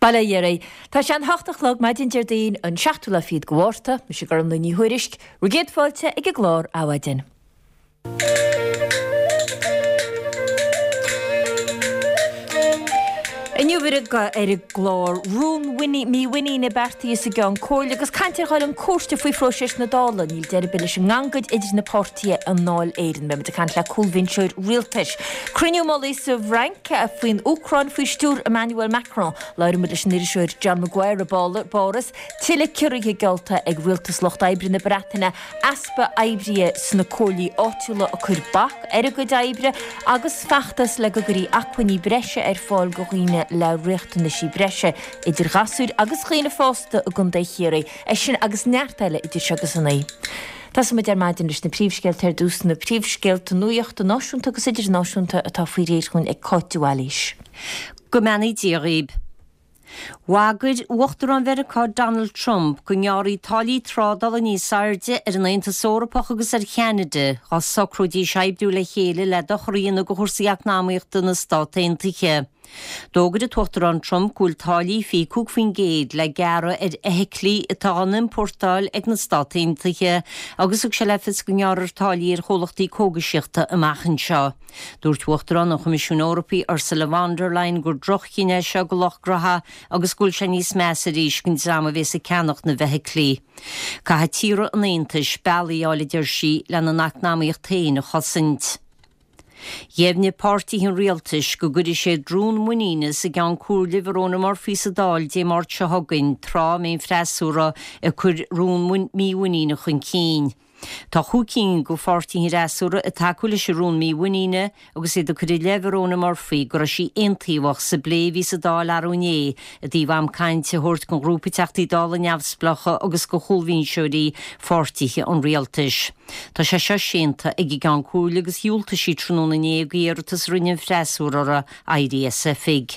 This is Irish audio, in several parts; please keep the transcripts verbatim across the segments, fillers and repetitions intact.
Bail ó Dhia oraibh. Tá sé an hocht a chlog maidin Déardaoin an seachtú lá fichead de Mhárta, mise Gormlaith Ní Thuairisg, bhur gcéad fáilte ag an gclár Adhmhaidin. Inniu ar an gclár rún mímhuiníne beartaithe sa gCeann Comhairle agus caint ar dhul chun cúirte faoi phróiseas na Dála. Níl deireadh ar bith leis an ngangaid idir na páirtithe i nDáil Éireann. Beimid ag caint le cúlbhinseoir rialtais. Cruinniú mullaigh sa bhFrainc faoin Úcráin faoi stiúir Emmanuel Macron. Labhróidh muid leis an iriseoir John Maguire i bPáras. Tuilleadh ciorruithe geallta ag rialtas Lucht Oibre na Breataine, easpa oibrithe sna comhairlí áitiúla ag cur bac ar a gcuid oibre agus feachtas le go gcuirfí acmhainní breise ar fáil do dhaoine le riachtanaisí breise, idir ghasúir agus dhaoine fásta i gContae Chiarraí. É sin agus neart eile idir seo agus a naoi. Tosóidh muid ar maidin leis na príomhscéalta ar dtús, na príomhscéalta nuachta náisiúnta agus idirnáisiúnta atá faoi réir chugainn ag Cáit de Bhailís. Go mbeannaí Dia dhaoib. Bhagair Uachtarán Mheiriceá Donald Trump go ngearrfaí táillí trádála níos airde ar an Aontas Eorpach agus ar Cheanada dá socróidís oibriú le chéile le dochar a dhéanamh do chúrsaí eacnamaíochta na Stát Aontaithe. D'fhógair an tUachtarán Trump go bhfuil táillí fiche cúig faoin gcéad le gearradh ar fheithiclí atá á n-iompórtáil ag na Stát Aontaithe agus thug sé le fios go ngearrfar táillí ar chomhlachtaí cógaisíochta amach anseo. Dúirt Uachtarán an Choimisiúin Eorpaigh Ursula von der Leyen gur droch-chinneadh é seo do lucht gnótha agus go bhfuil sé níos measa arís don dream a bhéas ag ceannach na bhfeithiclí. Caithfidh tíortha an Aontais bealaí a fháil, a deir sí, lena n-eacnamaíocht féin a chosaint. Dheimhnigh páirtithe an rialtais go gcuirfidh siad rún muiníne sa gCeann Comhairle Verona Murphy sa Dáil Dé Máirt seo chugainn, tráth a mbeidh an freasúra ag cur rún mímhuiníne chun cinn. Tá chúig cinn de pháirtithe an fhreasúra ag tacú leis an rún mímhuiníne agus iad ag cur i leith Verona Murphy go raibh sí aontaobhach sa bplé a bhí sa Dáil arú inné i dtaobh am cainte a thabhairt don ghrúpa Teachtaí Dála neamhspleácha agus do chúlbhinseoirí pháirtithe an rialtais. Tá sé seo séanta ag an gCeann Comhairle agus dhiúltaigh sí tráthnóna inné d'iarratas a rinne an freasúra uirthi éirí as oifig.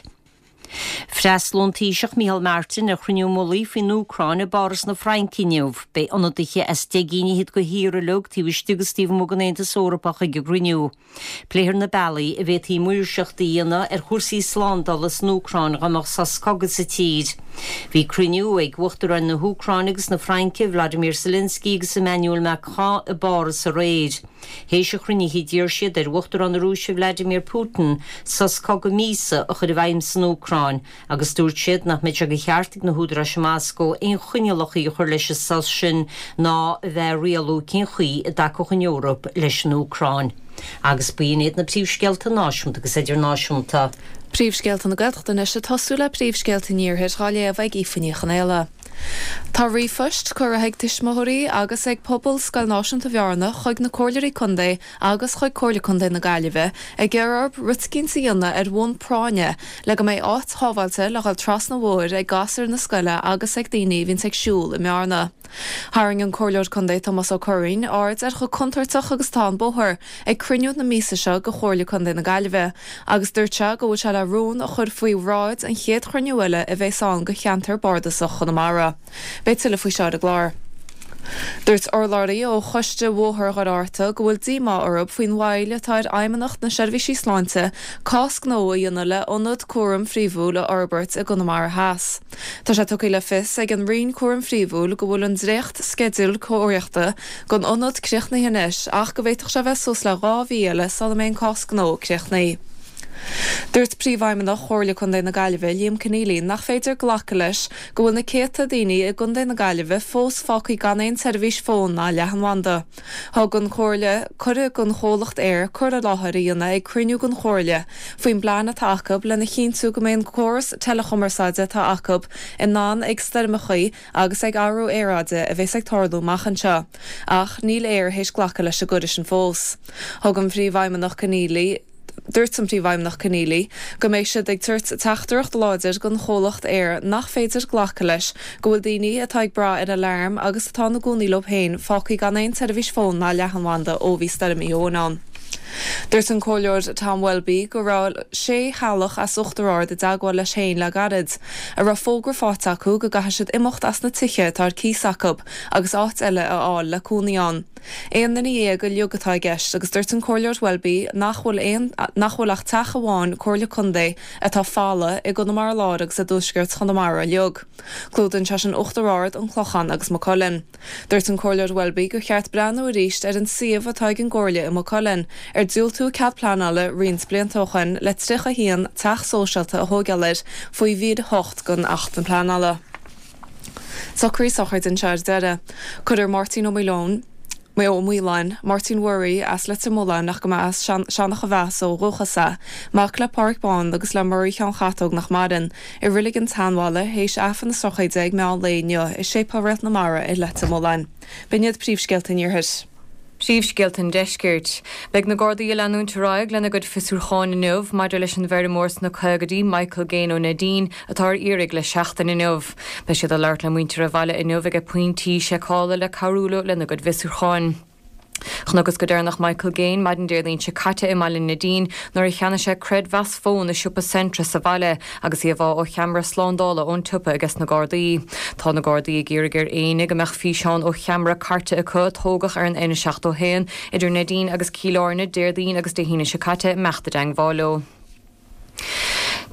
Freastalóidh an Taoiseach Micheál Martin ar chruinniú mullaigh faoin Úcráin i bPáras na Fraince inniu. Beidh ionadaithe as deich gcinn fhichead de thíortha uilig taobh istigh agus taobh amuigh den Aontas Eorpach ag an gcruinniú. Pléifear na bealaí a bhféadfaí maoirseacht a dhéanamh ar chúrsaí slándála san Úcráin dá mbeadh sos cogaidh sa tír. Bhí cruinniú ag Uachtaráin na hÚcráine agus na Fraince, Vladimir Zelensky agus Emmanuel Macron i bPáras aréir. Théis an chruinnithe d'iarr siad ar Uachtarán na Rúise Vladimir Putin sos cogaidh míosa a chur i bhfeidhm san Úcráin agus dúirt siad nach mbeidh sé de cheart ag na húdaráis i Moscó aon choinníollacha a chur leis an sos sin ná a bheith ag rialú cén chaoi a dtacódh an Eoraip leis an Úcráin. Agus b'in iad na príomhscéalta náisiúnta agus idirnáisiúnta. Príomhscéalta na Gaeltachta anois ag tosú le príomhscéalta an Iarthair á léamh ag Aoife Ní Chonaola. Tá ríomhphoist curtha ag tuismitheoirí agus ag pobal Scoil Náisiúnta Bhearna chuig na Comhairleoirí Contae agus chuig Comhairle Contae na Gaillimhe ag iarraidh orthu rud eicínt a dhéanamh ar bhonn práinne le go mbeidh áit shábháilte le dhul trasna an bhóthair ag gasúir na scoile agus ag daoine a bhíonns ag siúl i mBearna. Tharraing an Comhairleoir Contae Tomás Ó Curraoin aird ar chomh contúirteach agus atá an bóthar ag cruinniú na míosa seo de Chomhairle Contae na Gaillimhe agus dúirt sé go bhfuil sé le rún a chur faoi bhráid an chéad chruinniú eile a bheas ann de cheantar bardasach Chonamara. Beidh tuilleadh faoi seo ar an gclár. Dúirt urlabhraí ó Choiste Bhóthar Dhoire Fhatharta go bhfuil díomá orthu faoin mhoill atá ar Fheidhmeannacht na Seirbhísí Sláinte cás gnó a dhéanamh le hionad cúraim phríomhúil a fhorbairt i gConamara Theas. Tá sé tugtha le fios ag an Roinn Cúraim Phríomhúil go bhfuil an dréacht-sceideal cóiríochta don ionad críochnaithe anois ach go bhféadfadh sé bheith suas le dhá mhí eile sula mbeidh an cás gnó críochnaithe. Dúirt Príomhfheidhmeannach Chomhairle Contae na Gaillimhe, Liam Conneally, nach féidir glacadh leis go bhfuil na céadta daoine i gContae na Gaillimhe fós fágtha gan aon tseirbhís fóin ná leathanbhanda. Thug an Chomhairle cuireadh don chomhlacht Eir cur i láthair a dhéanamh ag cruinniú den Chomhairle faoin bplean atá acu lena chinntiú go mbeidh an córas teileachumarsáide atá acu in ann ag stoirmeachaí agus ag athrú aeráide a bheas ag tarlú amach anseo. Ach níl Eir théis glacadh leis an gcuireadh sin fós. Thug an Phríomhfheidhmeannach Conneally. Dúirt an Príomhfheidhmeannach Conneally go mbeidh siad ag tabhairt teachtaireacht láidir don chomhlacht Eir nach féidir glacadh leis go bhfuil daoine atá ag brath ar aláram agus atá ina gcónaí leo féin fágtha gan aon tseirbhís fóin ná leathanbhanda ó bhí Stoirm Éowyn ann. Dúirt an Comhairleoir Tom Welby go raibh sé theaghlach as Uachtar Ard i dteagmháil leis féin le gairid, a raibh fógra faighte acu go gcaithfidh siad imeacht as na tithe atá ar cíos acu agus áit eile a fháil le cónaí ann. Aon duine dhéag uilig atá i gceist agus dúirt an Comhairleoir Welby nach bhfuil aon nach bhfuil ach teach amháin Comhairle Contae atá folamh i gConamara Láir agus i dtuaisceart Chonamara uilig. Clúdaíonn sé sin Uachtar Ard, an Clochán agus Maigh Cuilinn. Dúirt an Comhairleoir Welby gur cheart breathnú arís ar an suíomh atá ag an gComhairle i Maigh Cuilinn, ar diúltaíodh cead pleanála roinnt blianta ó shin le tríocha haon teach sóisialta a thógáil air faoi mhír a hocht den Acht Pleanála. Socruithe sochraide anseo ar deireadh. Cuirfear Máirtín Ó Maoileoin, Ó Maoláin, Máirtín Mhuirí as Leitir Mealláin ach go mba as Seanach an Mheasa ó dhúchas é, mac le Páraic Bán agus le Muirí Sheáin Chatóg nach maireann, i Reilig an tSeanbhaile théis Aifreann na sochraide ag meán lae inniu i Séipéal Réalt na Mara i Leitir Mealláin. B'in iad príomhscéalta an Iarthair. Príomhscéalta an Deiscirt. Beidh na Gardaí ag leanúint ar aghaidh lena gcuid fiosrúcháin inniu maidir leis an bhfeirmeoir sna caogaidí Michael Gaine ó Neidín atá ar iarraidh le seachtain inniu. Beidh siad ag labhairt le muintir an bhaile inniu ag pointí seiceála le cabhrú leo lena gcuid bhfiosrúcháin. Chonacthas go deireanach Michael Gaine maidin Déardaoin seo caite i mbaile Neidín nuair a cheannaigh sé creidmheas fóin i siopa Centra sa bhaile agus íomhá ó cheamara slándála ón tsiopa aige sna Gardaí. Tá na Gardaí ag iarraidh ar éinne go mbeadh físeán ó cheamara cairte acu a tógadh ar an N seachtó haon idir Neidín agus Cill Airne Déardaoin agus Dé hAoine seo caite imeacht i dteangmháil leo.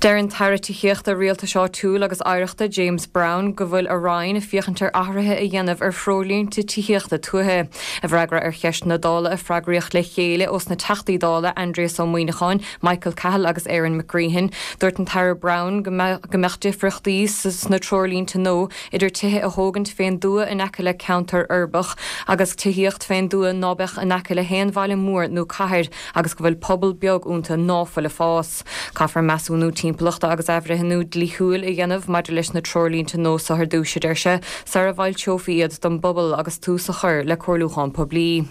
Deir an tAire Tithíochta Rialtais Áitiúil agus Oidhreachta James Browne go bhfuil a Roinn ag féachaint ar athruithe a dhéanamh ar threoirlínte tithíochta tuaithe. I bhfreagra ar cheisteanna Dála a freagraíodh le chéile ós na Teachtaí Dála Aindrias Ó Muimhneacháin, Michael Cahill agus Aaron McGreehan, dúirt an tAire Browne go mbeadh difríochtaí sna treoirlínte nua idir tithe a thógaint fén dtuath in aice le ceantar uirbeach agus tithíocht fén dtuath ná beadh in aice le haon bhaile mór nó cathair agus go bhfuil pobal beag iontu ná fuil ag fás. Caithfear measúnú timpeallachta agus athbhreithniú dlíthiúil a dhéanamh maidir leis na treoirlínte nua so ar dtús, a deir sé, sara bhfoilseofaí iad don bpobal agus tús a chur le comhairliúchán poiblí.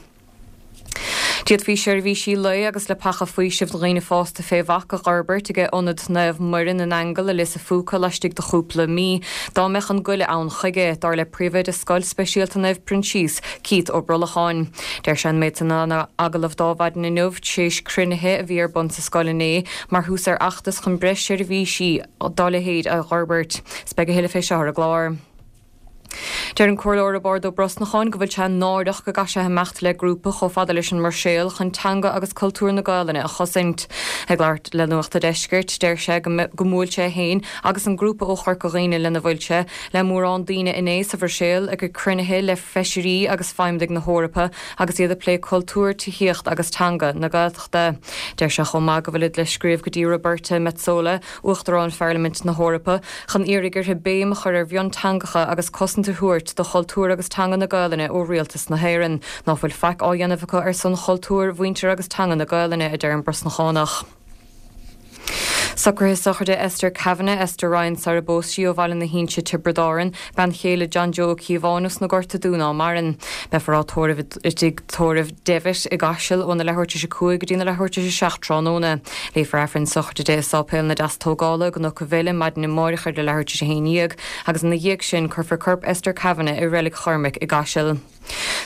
D'fhéadfaí seirbhísí lae agus leapacha faoisimh do dhaoine fásta fé bhac a dh'fhorbairt ag Ionad Naomh Muire na nAingeal i Lios a' Phúca laistigh de chúpla mí, dá mbeadh an goile ann chuige, dar le príomhoide Scoil Speisialta Naomh Proinsias, Keith Ó Brolacháin. Deir sé an méid san in agallamh dó maidin inniu, tréis cruinnithe a bhí ar bun sa scoil inné mar thús ar fheachtas chun breis seirbhísí dá leithéid a dh'fhorbairt. 'S beidh a thuilleadh fé seo ar an gclár. Deir an Comhairleoir Roibeárd Ó Brosnacháin go bhfuil sé náireach go gcaithfidh sé imeacht le grúpa chomh fada leis an mBruiséil chun teanga agus cultúr na Gaelainne a chosaint. Ag labhairt le Nuacht a' Deiscirt, deir sé go mbuail sé féin agus an grúpa ó Chorca Dhuibhne lena bhfuil sé le mórán daoine inné sa Bhruiséil ag cruinnithe le feisirí agus feidhmeannaigh na hEorpa agus iad ag plé cultúr, tithíocht agus teanga na Gaeltachta. Deir sé chomh maith go bhfuilid le scríobh go dtí Roberta Metsola, Uachtarán Pharlaimint na hEorpa, chun iarraidh uirthi béim a chur ar mhionteangacha agus cosaint a thabhairt do chultúr agus teanga na Gaelainne ó Rialtas na hÉireann, ná fuil faic á dhéanamh acu ar son chultúr, mhuintir agus teanga na Gaelainne, a deir an Brosnachánach. Socruithe sochraide Esther Kavanagh, Esther Ryan sara bpós sí ó Bhaile na hInse, Tiobraid Árann, bean chéile John Joe Ó Cíobháin os na Gorta Dún ná maireann. Beifear á tórramh i dtigh tórraimh Devitt i gCaiseal óna leathuair tar éis a cúig go dtí na leathuair tar éis a seacht tráthnóna. Léifear Aifreann sochraide di i Sáipéal na Deastógála i gCnoc an Bhaile maidin amáireach ar a leathuair tar éis a haon dhéag agus ina dhiaidh sin cuirfear corp Esther Kavanagh i Reilig Chormaic i gCaiseal.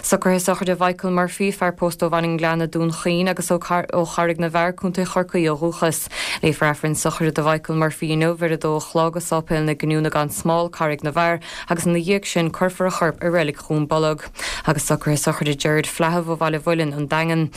Socruithe sochraide Mhichael Murphy, fear pósta ó Bhaile an Ghleanna, Dún Chaoin agus ó Charraig na bhFear, Contae Chorcaí ó dhúchas. Léifear Aifreann sochraide do Mhichael Murphy inniu ar a dó a chlog i Sáipéal na Giniúna gan Smál, Carraig na bhFear, agus ina dhiaidh sin cuirfear a chorp i Reilig Dhún Bolg. Agus socruithe sochraide Gerard Flaithimh ó Bhaile Mhuilinn, An Daingean.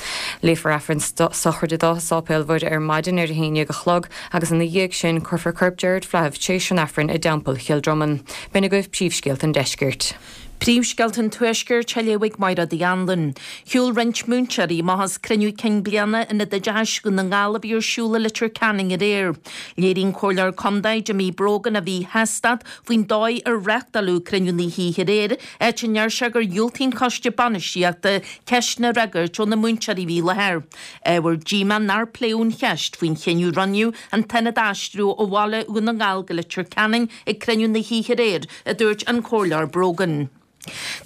Léifear Aifreann sochraide dó i Sáipéal Mhuire ar maidin ar a haon déag a chlog agus ina dhiaidh sin cuirfear corp Gerard Flaithimh tréis an Aifrinn i dTeampall Chill Dromann. B'in agaibh príomhscéalta an deiscirt. Príomhscéalta an Tuaiscirt á léamh ag Máire Uí Anluain. Shiúil roinnt múinteoirí amach as cruinniú cinn bliana Ionad Oideachais Dhún na nGall a bhí ar siúl i Leitir Ceanainn aréir. Léirigh an Comhairleoir Contae Jimmy Brogan a mhíshástacht faoin dóigh ar reáchtáladh cruinniú na hoíche aréir, áit a ndeir sé gur dhiúltaigh an Coiste Bainistíochta ceisteanna a fhreagairt ó na múinteoirí a bhí i láthair. Ábhar díomá nár pléadh an cheist faoin chinneadh a rinneadh an t-ionad a aistriú ó bhaile Dhún na nGall go Leitir Ceanainn ag cruinniú na hoíche aréir, a dúirt an Comhairleoir Brogan.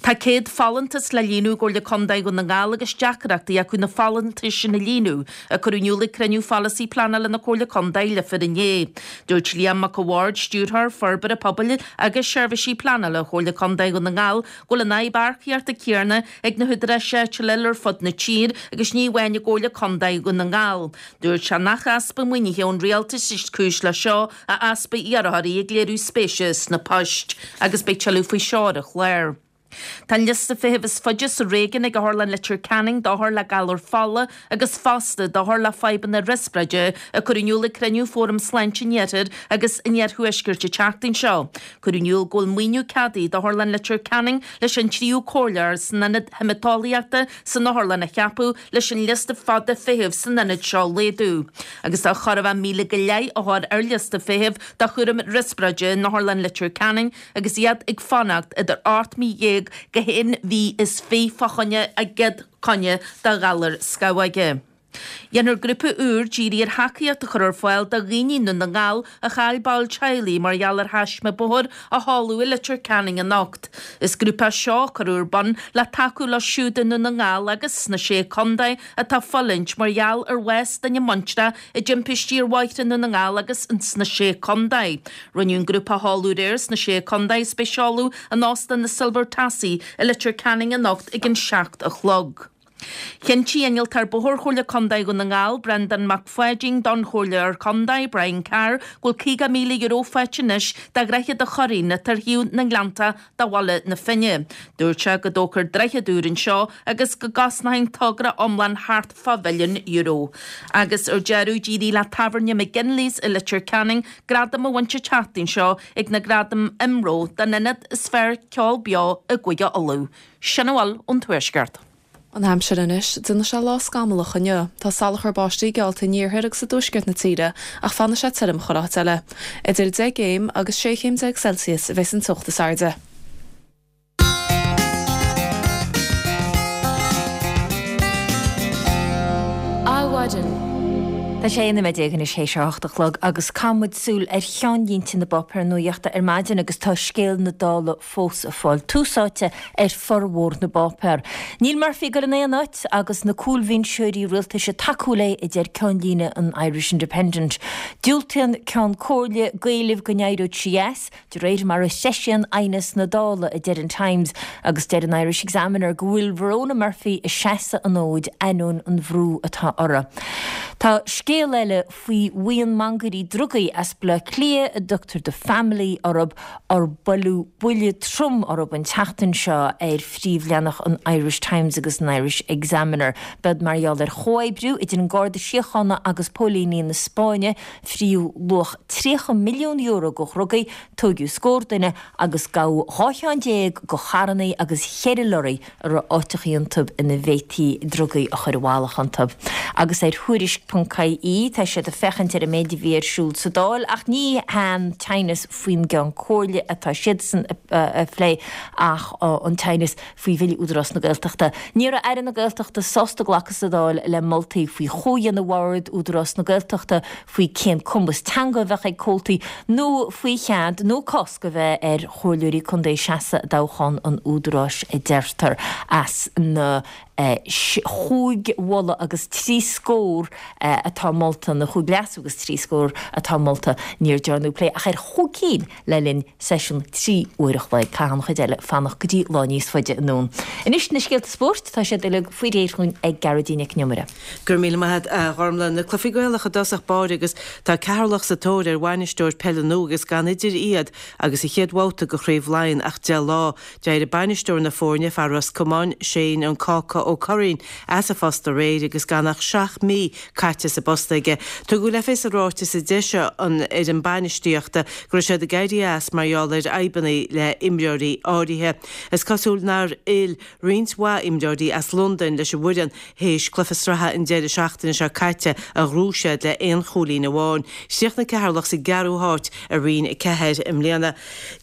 Tá céad folúntas le líonadh i gComhairle Contae Dhún na nGall agus deacrachtaí acu na folúntais sin a líonadh, a cuireadh in iúl ag cruinniú pholasaí pleanála na Comhairle Contae Leifear inné. Dúirt Liam Mac a' Bhaird, Stiúrthóir Forbartha Pobail agus Seirbhísí Pleanála Chomhairle Contae Dhún na nGall, go bhfuil an fhadhb earcaíochta céanna ag na húdaráis áitiúla eile ar fud na tíre agus ní amháin i gComhairle Contae Dhún na nGall. Dúirt sé nach easpa maoinithe ón rialtas is cúis leis seo ach easpa iarrthóirí ag léiriú spéise sna poist. Agus beidh tuilleadh faoi seo ar an chlár. Tá an liosta feithimh is faide sa réigiún ag Otharlann Leitir Ceanainn d'othair le galar fola agus fosta d'othair le fadhbanna riospráide a cuireadh in iúl ag cruinniú Fóram Sláinte an Iarthair agus an Iarthuaiscirt an tseachtain seo. Cuireadh in iúl go bhfuil maoiniú ceadaithe d'Otharlann Leitir Ceanainn leis an tríú comhairleoir san ionad haemaiteolaíochta san otharlann a cheapadh leis an liosta fada feithimh san ionad seo a laghdú. Agus tá chóir a bheith míle go leith othar ar liosta feithimh do chúram riospráide in Otharlann Leitir Ceanainn agus iad ag fanacht idir ocht mí dhéag go haon mhí is fiche fá choinne a gcéad choinne do ghalar scamhóige. Déanfar grúpa úr dírithe ar thacaíocht a chur ar fáil do dhaoine i nDún na nGall a chaill ball teaghlaigh mar gheall ar thaisme bóthair a tharla i Leitir Ceanainn anocht. Is grúpa é seo a cuireadh ar bun le tacú leo siúd i nDún na nGall agus sna Sé Chontae atá ag fulaingt mar gheall ar bhás duine muinteartha i dtimpistí ar bhóithre i nDún na nGall agus sna Sé Chontae. Rinneadh an grúpa a sheoladh aréir sna Sé Chontae is beidh seoladh in Óstán na Silver Tassie i Leitir Ceanainn anocht ag an seacht a chlog. Chinntigh Innealtóir Bóthair Chomhairle Contae Dhún na nGall, Breandán Mac Pháidín, don Chomhairleoir Contae, Brian Carr, go bhfuil caoga míle euro faighte anois do Dhroichead an Churraoin atá ar thaobh na nGleannta de Bhaile na Finne. Dúirt sé go dtógfar droichead úr anseo agus go gcosnóidh an togra iomlán thart fá mhilliún euro. Agus ar deireadh, d'éirigh le Tábhairne McGinley's i Leitir Ceanainn gradam a bhaint an tseachtain seo ag na Gradaim IMRO don ionad is fearr ceol beo i gCúige Uladh. Sin a bhfuil ón Tuaisceart. An aimsir anois, déanfaidh sé lá scamallach inniu. Tá salachar báistí geallta in iarthar agus i dtuaisceart na tíre ach fanfaidh sé tirim chuile áit eile. Idir deich gcéim agus sé chéim déag Celsius a bheas an teocht is airde. Adhmhaidin. Tá sé aon nóiméad déag anois théis a hocht a chlog agus caithfidh muid súil ar cheannlínte na bpáipéar nuachta ar maidin agus tá scéal na Dála fós ag fáil tús áite ar formhór na bpáipéar. Níl Murphy ag dul in aon áit agus na cúlbhinseoirí rialtais ag tacú léi, a deir ceannlíne an Irish Independent. Diúltaíonn Ceann Comhairle Gaillimh go n-éireodh sí as, de réir mar a threisíonn aighneas na Dála, a deir an Times, agus deir an Irish Examiner go bhfuil Verona Murphy ag seasamh an fhóid ainneoin an bhrú atá uirthi. Tá scéal eile faoi bhuíon mangairí drugaí as Baile Átha Cliath a dtugtar The Family orthu ar buaileadh buille trom orthu an tseachtain seo ar phríomhleathanach an Irish Times agus an Irish Examiner. B'iod mar gheall ar chomhoibriú idir an Garda Síochána agus póilíní na Spáinne, fríodh luach tríocha milliún euro de dhrugaí, tóigeadh scór duine agus gabhadh dhá cheann déag de charrannaí agus cheithre lorraí a raibh áiteachaí iontu ina bhféadfaí drugaí a chur i bhfalach iontu. Agus ar Thuairisc ponc ie tá siad ag féachaint ar an méid a bhí ar siúl sa Dáil ach ní han teannas faoin gCeann Comhairle atá siadsan a phlé ach an teannas faoi Bhille Údarás na Gaeltachta. Ní raibh Aire na Gaeltachta sásta glacadh sa Dáil le moltaí faoi chomhdhéanamh Bhord Údarás na Gaeltachta, faoi cén cumas teanga a bheadh ag comhaltaí nó faoi chead nó cosc a bheith ar chomhairleoirí contae seasamh i dtoghchán an Údaráis a deirtear. As na chúig mholadh agus trí scór atá molta, na chúig leasú agus trí scór atá molta, níor dearnadh plé ach ar chúig cinn le linn seisiún trí uair a chloig. Caithfidh an chuid eile fanacht go dtí lá níos faide anonn. Anois na scéalta spóirt, tá siad uilig faoi réir chugainn ag Gearóidín Nic Con Iomaire. Go raibh míle maith agat a Ghormlaith. Na cluichí Gaelacha i dtosach báire agus tá Ceatharlach sa tóir ar bhainisteoir peile nua agus gan idir iad agus an chéad bhabhta de Chraobh Laighean ach deich lá. D'éirigh bainisteoir na foirne, fear Ros Comáin, Shane an Cáca Ó Curraoin, as a phost aréir agus gan ach seacht mí caite sa bpost aige. Tugadh le fios i ráiteas a d'eisigh an fhoireann bainistíochta go raibh siad ag éirí as mar gheall ar fhadhbanna le himreoirí áirithe. Is cosúil nár fhill roinnt mhaith imreoirí as Londain leis an bhfoireann théis cluiche sraithe an deireadh seachtaine seo caite a ghnóthaigh siad le aon chúilín amháin. Chríochnaigh Ceatharlach sa gceathrú háit i Roinn a ceathair i mbliana.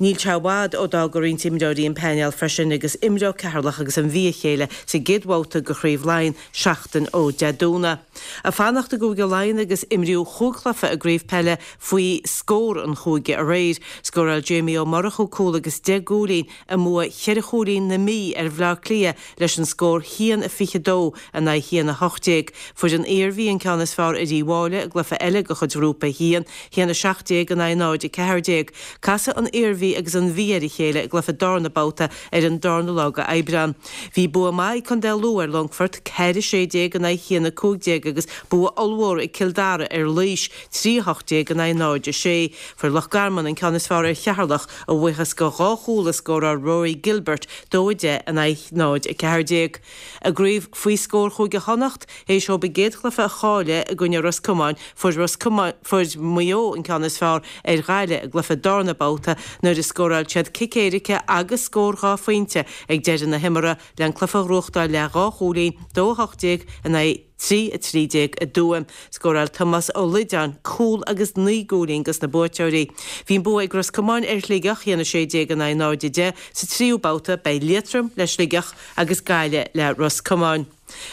Níl sé i bhfad ó d'fhág roinnt imreoirí an painéal freisin agus imreoidh Ceatharlach agus an Mhí a chéile sa gcéad bhabhta de Chraobh Laighean seachtain ó Dé Domhnaigh. Ag fanacht i gCúige Laighean agus imríodh chúig chluiche i gcraobh peile faoi scór an chúige aréir. Scóráil Jamie Ó Murchú cúl agus deich gcúilín i mbua cheithre chúilín na Mí ar Bhleá Cliath leis an scór haon a fiche dó in aghaidh haon a hocht déag. Fuair an Iarmhí an ceann is fearr ar Uíbh Fhailí i gcluiche eile de chuid Ghrúpa a haon, haon a seacht déag in aghaidh náid a ceathair déag. Casfaidh an Iarmhí agus an Mhí ar a chéile i gcluiche darna babhta ar an darna lá de Aibreán. Bhí bua maith ag Contae Lú ar Longfort, ceathair a sé déag in aghaidh haon a cúig déag agus bua Bua ollmhór ag Cill Dara ar Laois, trí a hocht déag in aghaidh náid a sé. Fuair Loch Garman an ceann is fearr ar Cheatharlach a bhuíochas go dhá chúl a scóráil Rory Gilbert, dó a deich in aghaidh náid a ceathair déag. I gcraobh faoi scór Chúige Chonnacht, théis dóibh a gcéad chluiche a chailleadh i gcoinne Ros Comáin, fuair Ros Comáin, fuair Maigh Eo an ceann is fearr ar Ghaillimh i gcluiche darna babhta nuair a scóráil siad cic éirice agus scór dhá phointe ag deireadh na himeartha le an cluiche a ghnóthachtáil le dhá chúilín, dó a hocht déag in aghaidh trí a trí déag i dTuaim. Scóráil Tomás Ó Loideáin cúl agus naoi gcúilín dos na buaiteoirí. Bhí an bua ag Ros Comáin ar Shligeach, a haon a sé déag in aghaidh náid a deich. Sa tríú babhta beidh Liatroim le Sligeach agus Gaillimh le Ros Comáin.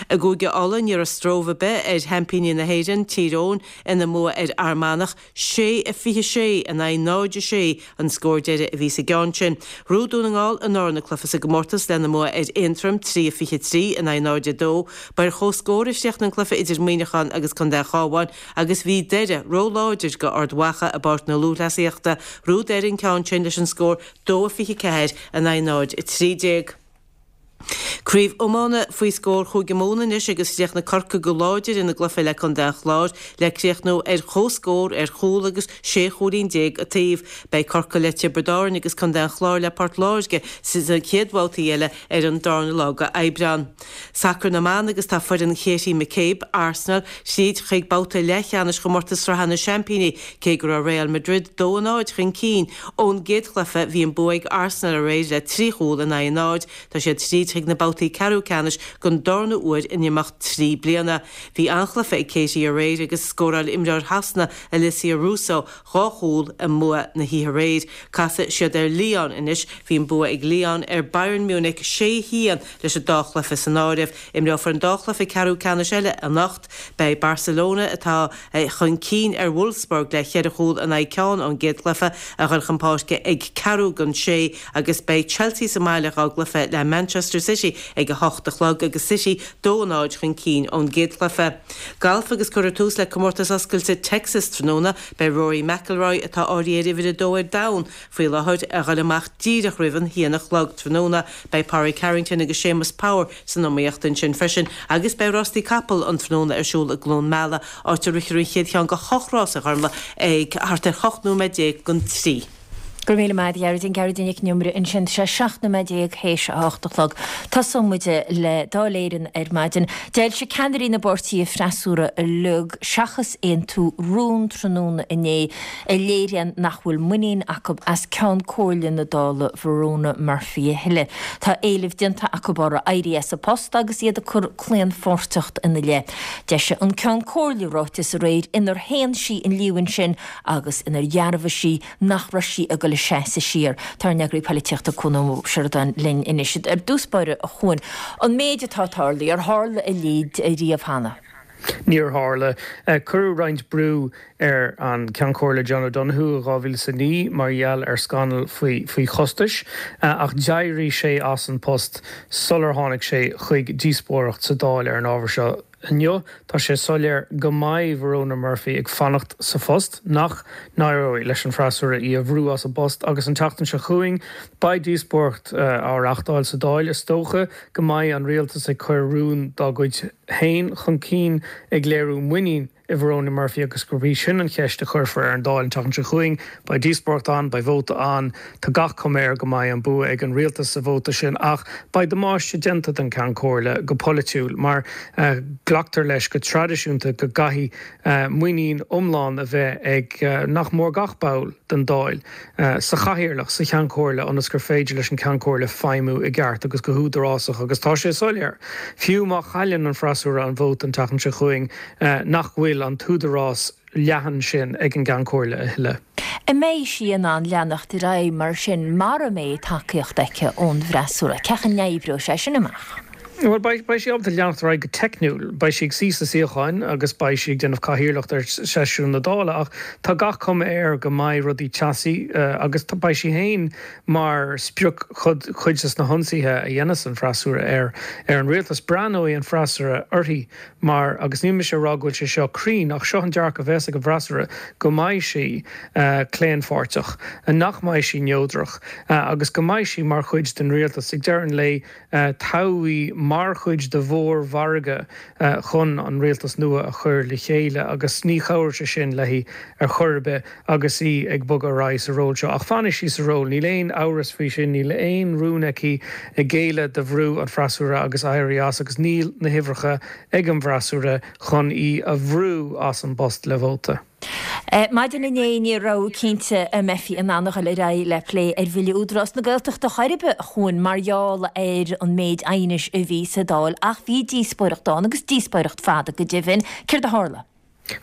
I gCúige Uladh ní raibh stró ar bith ar sheaimpíní na hÉireann, Tír Eoghain, ina mbua ar Fhear Manach, sé a fiche sé in aghaidh náid a sé an scór deiridh a bhí sa gceann sin. Ghnóthaigh Dún na nGall a ndarna cluiche sa gcomórtas lena mbua ar Aontroim, trí a fiche trí in aghaidh náid a dó. Ba ar comhscór a chríochnaigh an cluiche idir Muineachán agus Contae an Chabháin agus bhí Doire róláidir do Ard Mhacha i bPáirc na Lúthchleasaíochta. Ghnóthaigh Doire an ceann sin leis an scór dó a fiche ceathair in aghaidh náid a trí déag. Craobh iomána faoi scór Chúige Mumhan anois agus chríochnaigh Corcaigh go láidir ina gcluiche le Contae an Chláir le críochnú ar comhscór ar chúl agus sé chúilín déag an taobh. Beidh Corcaigh le Tiobraid Árann agus Contae an Chláir le Port Láirge sna chéad bhabhtaí eile ar an darna lá de Aibreán. Sacar na mban agus tá foireann Katie McCabe, Arsenal, tríd chuig babhta leathcheannais chomórtas Sraithe na Seaimpíní cé go raibh Real Madrid dó a náid chun cinn ón gcéad chluiche bhí an bua ag Arsenal aréir le trí chúl in aghaidh a náid. Tá siad tríd chuig na babhtaí ceathrú ceannais don darna huair in imeacht trí bliana. Bhí an-chluiche ag Katie aréir agus scóráil imreoir Shasana Alessia Russo dhá chúl i mbua na hoíche aréir. Casfaidh siad ar Lyon anois. Bhí an bua ag Lyon ar Bayern Munich sé haon leis an dá chluiche san áireamh. Imreofar an dá chluiche ceathrú ceannais eile anocht. Beidh Barcelona atá chun cinn ar Wolfsburg le ceithre chúl in aghaidh ceann ón gcéad chluiche a dhul chun páirce ag ceathrú don sé agus beidh Chelsea sa mbaile dhá gcluiche le Manchester City ag a hocht a chlog agus City dó a náid chun cinn ón gcéad chluiche. Galf agus cuirfear tús le Comórtas Oscailte Texas tráthnóna. Beidh Rory McIlroy, atá áirithe ar uimhir a dó ar domhan faoi láthair, a dhul amach díreach roimh an haon a chlog tráthnóna. Beidh Pádraig Harrington agus Séamus Power san iomaíocht ansin freisin agus beidh rástaí capall an tráthnóna ar siúl i gCluain Meala, áit a rithfear an chéad cheann de hocht rás a Ghormfhlaith ag thart ar hocht nóiméad déag don trí. Go raibh míle maith agat, a Ghearóidín. Gearóidín Nic an Iomaire ansin. Tá sé seacht nóiméad déag théis a hocht a chlog. Tosóidh muid le Dáil Éireann ar maidin. D'fhoilsigh ceannairí na bpáirtithe freasúra uilig, seachas Aontú, rún tráthnóna inné a léiríonn nach bhfuil muinín acu as Ceann Comhairle na Dála Verona Murphy a thuilleadh. Tá éileamh déanta acu uirthi éirí as a post agus iad ag cur claonpháirteacht ina leith. D'eisigh an Ceann Comhairle ráiteas aréir inar shéan sí an líomhain sin agus inar dhearbhaigh sí nach raibh sí ag dul ag seasamh siar. Tá ár n-eagraí polaitíochta Cuan Ó Seireadáin linn anois. Ar dtús báire, a Chuain, an méid atá tarlaithe, ar tharla a leithéid riamh cheana? Níor tharla. Cuireadh roinnt brú ar an Ceann Comhairle John O'Donoghue i dhá mhíle is a naoi mar gheall ar scannal faoi faoi chostais ach d'éirigh sé as an post sular tháinig sé chuig díospóireacht sa Dáil ar an ábhar seo. Inniu, tá sé soiléir go mbeidh Verona Murphy ag fanacht sa phost, nach n-éireoidh leis an bhfreasúra í a bhrú as an bpost agus an tseachtain seo chugainn beidh díospóireacht á reáchtáil sa Dáil. Is dócha go mbeidh an rialtas ag cur rún dá gcuid féin chun cinn ag léiriú muinín i Verona Murphy agus gurb í sin an cheist a chuirfear ar an Dáil an tseachtain seo chugainn. Beidh díospóireacht ann, beidh vóta ann. Tá gach cuma air go mbeidh an bua ag an rialtas sa vóta sin ach beidh damáiste déanta don Cheann Comhairle go polaitiúil mar glactar leis go traidisiúnta go gcaithfidh muinín iomlán a bheith ag nach mór gach ball den Dáil sa chathaoirleach, sa Cheann Comhairle ionas gur féidir leis an Ceann Comhairle feidhmiú i gceart agus go húdarásach agus tá sé soiléir, fiú má chailleann an freasúra an vóta an tseachtain seo chugainn, nach bhfuil an t-údarás leathan sin ag an gCeann Comhairle a thuilleadh. An mbeidh sí in ann leanacht ar aghaidh mar sin mara mbeidh tacaíocht aici ón bhfreasúra? Cén chaoi a n-oibreoidh sé sin amach? Bhuel, beidh sí ábalta leanacht ar aghaidh go teicniúil. Beidh sí ag suí sna suíocháin agus beidh sí ag déanamh cathaoirleacht ar sheisiún na Dála ach tá gach cuma air go mbeidh rudaí teasaí agus beidh sí féin mar sprioc chuid de na hionsaithe a dhéanfas an freasúra ar an rialtas. Breathnóidh an freasúra uirthi mar, agus níl mise ag rá go bhfuil sé seo cruinn, ach seo an dearcadh a bheas ag an bhfreasúra, go mbeidh sí claonpháirteach, nach mbeidh sí neodrach agus go mbeidh sí mar chuid den rialtas. Ag deireadh an lae, toghadh í mar chuid de mhórmhargadh chun an rialtas nua a chur le chéile agus ní chabhróidh sé sin léi ar chor ar bith agus í ag bogadh ar aghaidh sa ról seo. Ach fanfaidh sí sa ról, níl aon amhras faoi sin, níl aon rún aici géilleadh do bhrú an fhreasúra agus éirí as agus níl na huimhreacha ag an bhfreasúra chun í a bhrú as an bpost le vóta. Maidin inné ní raibh cinnte an mbeifí in ann a dhul ar aghaidh le plé ar Bhille Údarás na Gaeltachta chor ar bith, a Chuain, mar gheall ar an méid aighnis a bhí sa Dáil ach bhí díospóireacht ann agus díospóireacht fada go deimhin. Céard a tharla?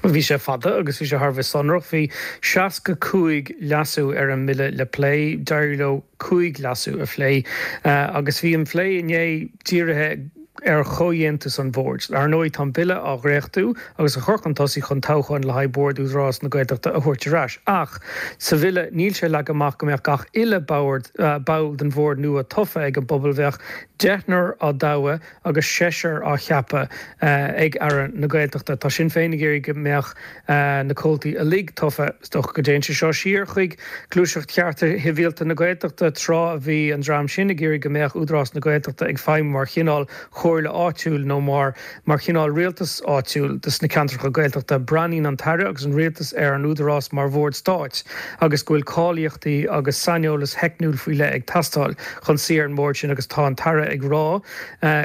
Bhuel, bhí sé fada agus bhí sé thar a bheith sonrach. Bhí seasca cúig leasú ar an mbille le plé. D'éirigh leo cúig leasú a phlé agus bhí an plé inné dírithe ar chomhdhéantús an bhoird. Ar ndóigh, tá an bille á dhréachtú agus á chur chun tosaigh chun toghcháin le haghaidh Bord Údarás na Gaeltachta a thabhairt ar ais. Ach sa bhille, níl sé leagtha amach go mbeadh gach uile bord, ball den bhord nua tofa ag an bpobal. Bheadh deichniúr á dtoghadh agus seisear á cheapadh ag Aire na Gaeltachta. Tá Sinn Féin ag iarraidh go mbeadh na comhaltaí uilig tofa. Is dócha go dtéann sé seo siar chuig Gluaiseacht Chearta Shibhialta na Gaeltachta tráth a bhí an dream sin ag iarraidh go mbeadh Údarás na Gaeltachta ag feidhmiú mar chineál chomhairle áitiúil nó mar mar chineál rialtas áitiúil dos na ceantracha Gaeltachta. Breathnaíonn an tAire agus an Rialtas ar an Údarás mar bhord stáit agus go bhfuil cáilíochtaí agus saineolas theicniúil faoi leith ag teastáil chun suí ar an mbord sin agus tá an tAire ag rá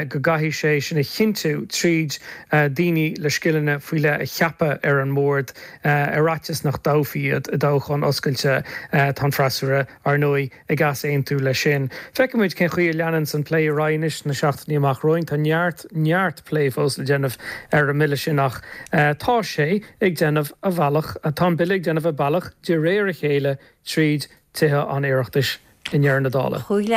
go gcaithfidh sé sin a chinntiú tríd daoine le scileanna faoi leith a cheapadh ar an mbord ar fhaitíos nach dtoghfaí iad i dtoghchán oscailte. Tá an freasúra, ar ndóigh, ag easaontú leis sin. Feicfimid cén chaoi a leananns an plé ar aghaidh anois sna seachtainí amach romhainn. Tá neart, neart plé fós le déanamh ar an mbille sin ach tá sé ag déanamh a bhealach, tá an bille ag déanamh a bealach de réir a chéile tríd Tithe an Oireachtais i ndeireadh na dála. Chúig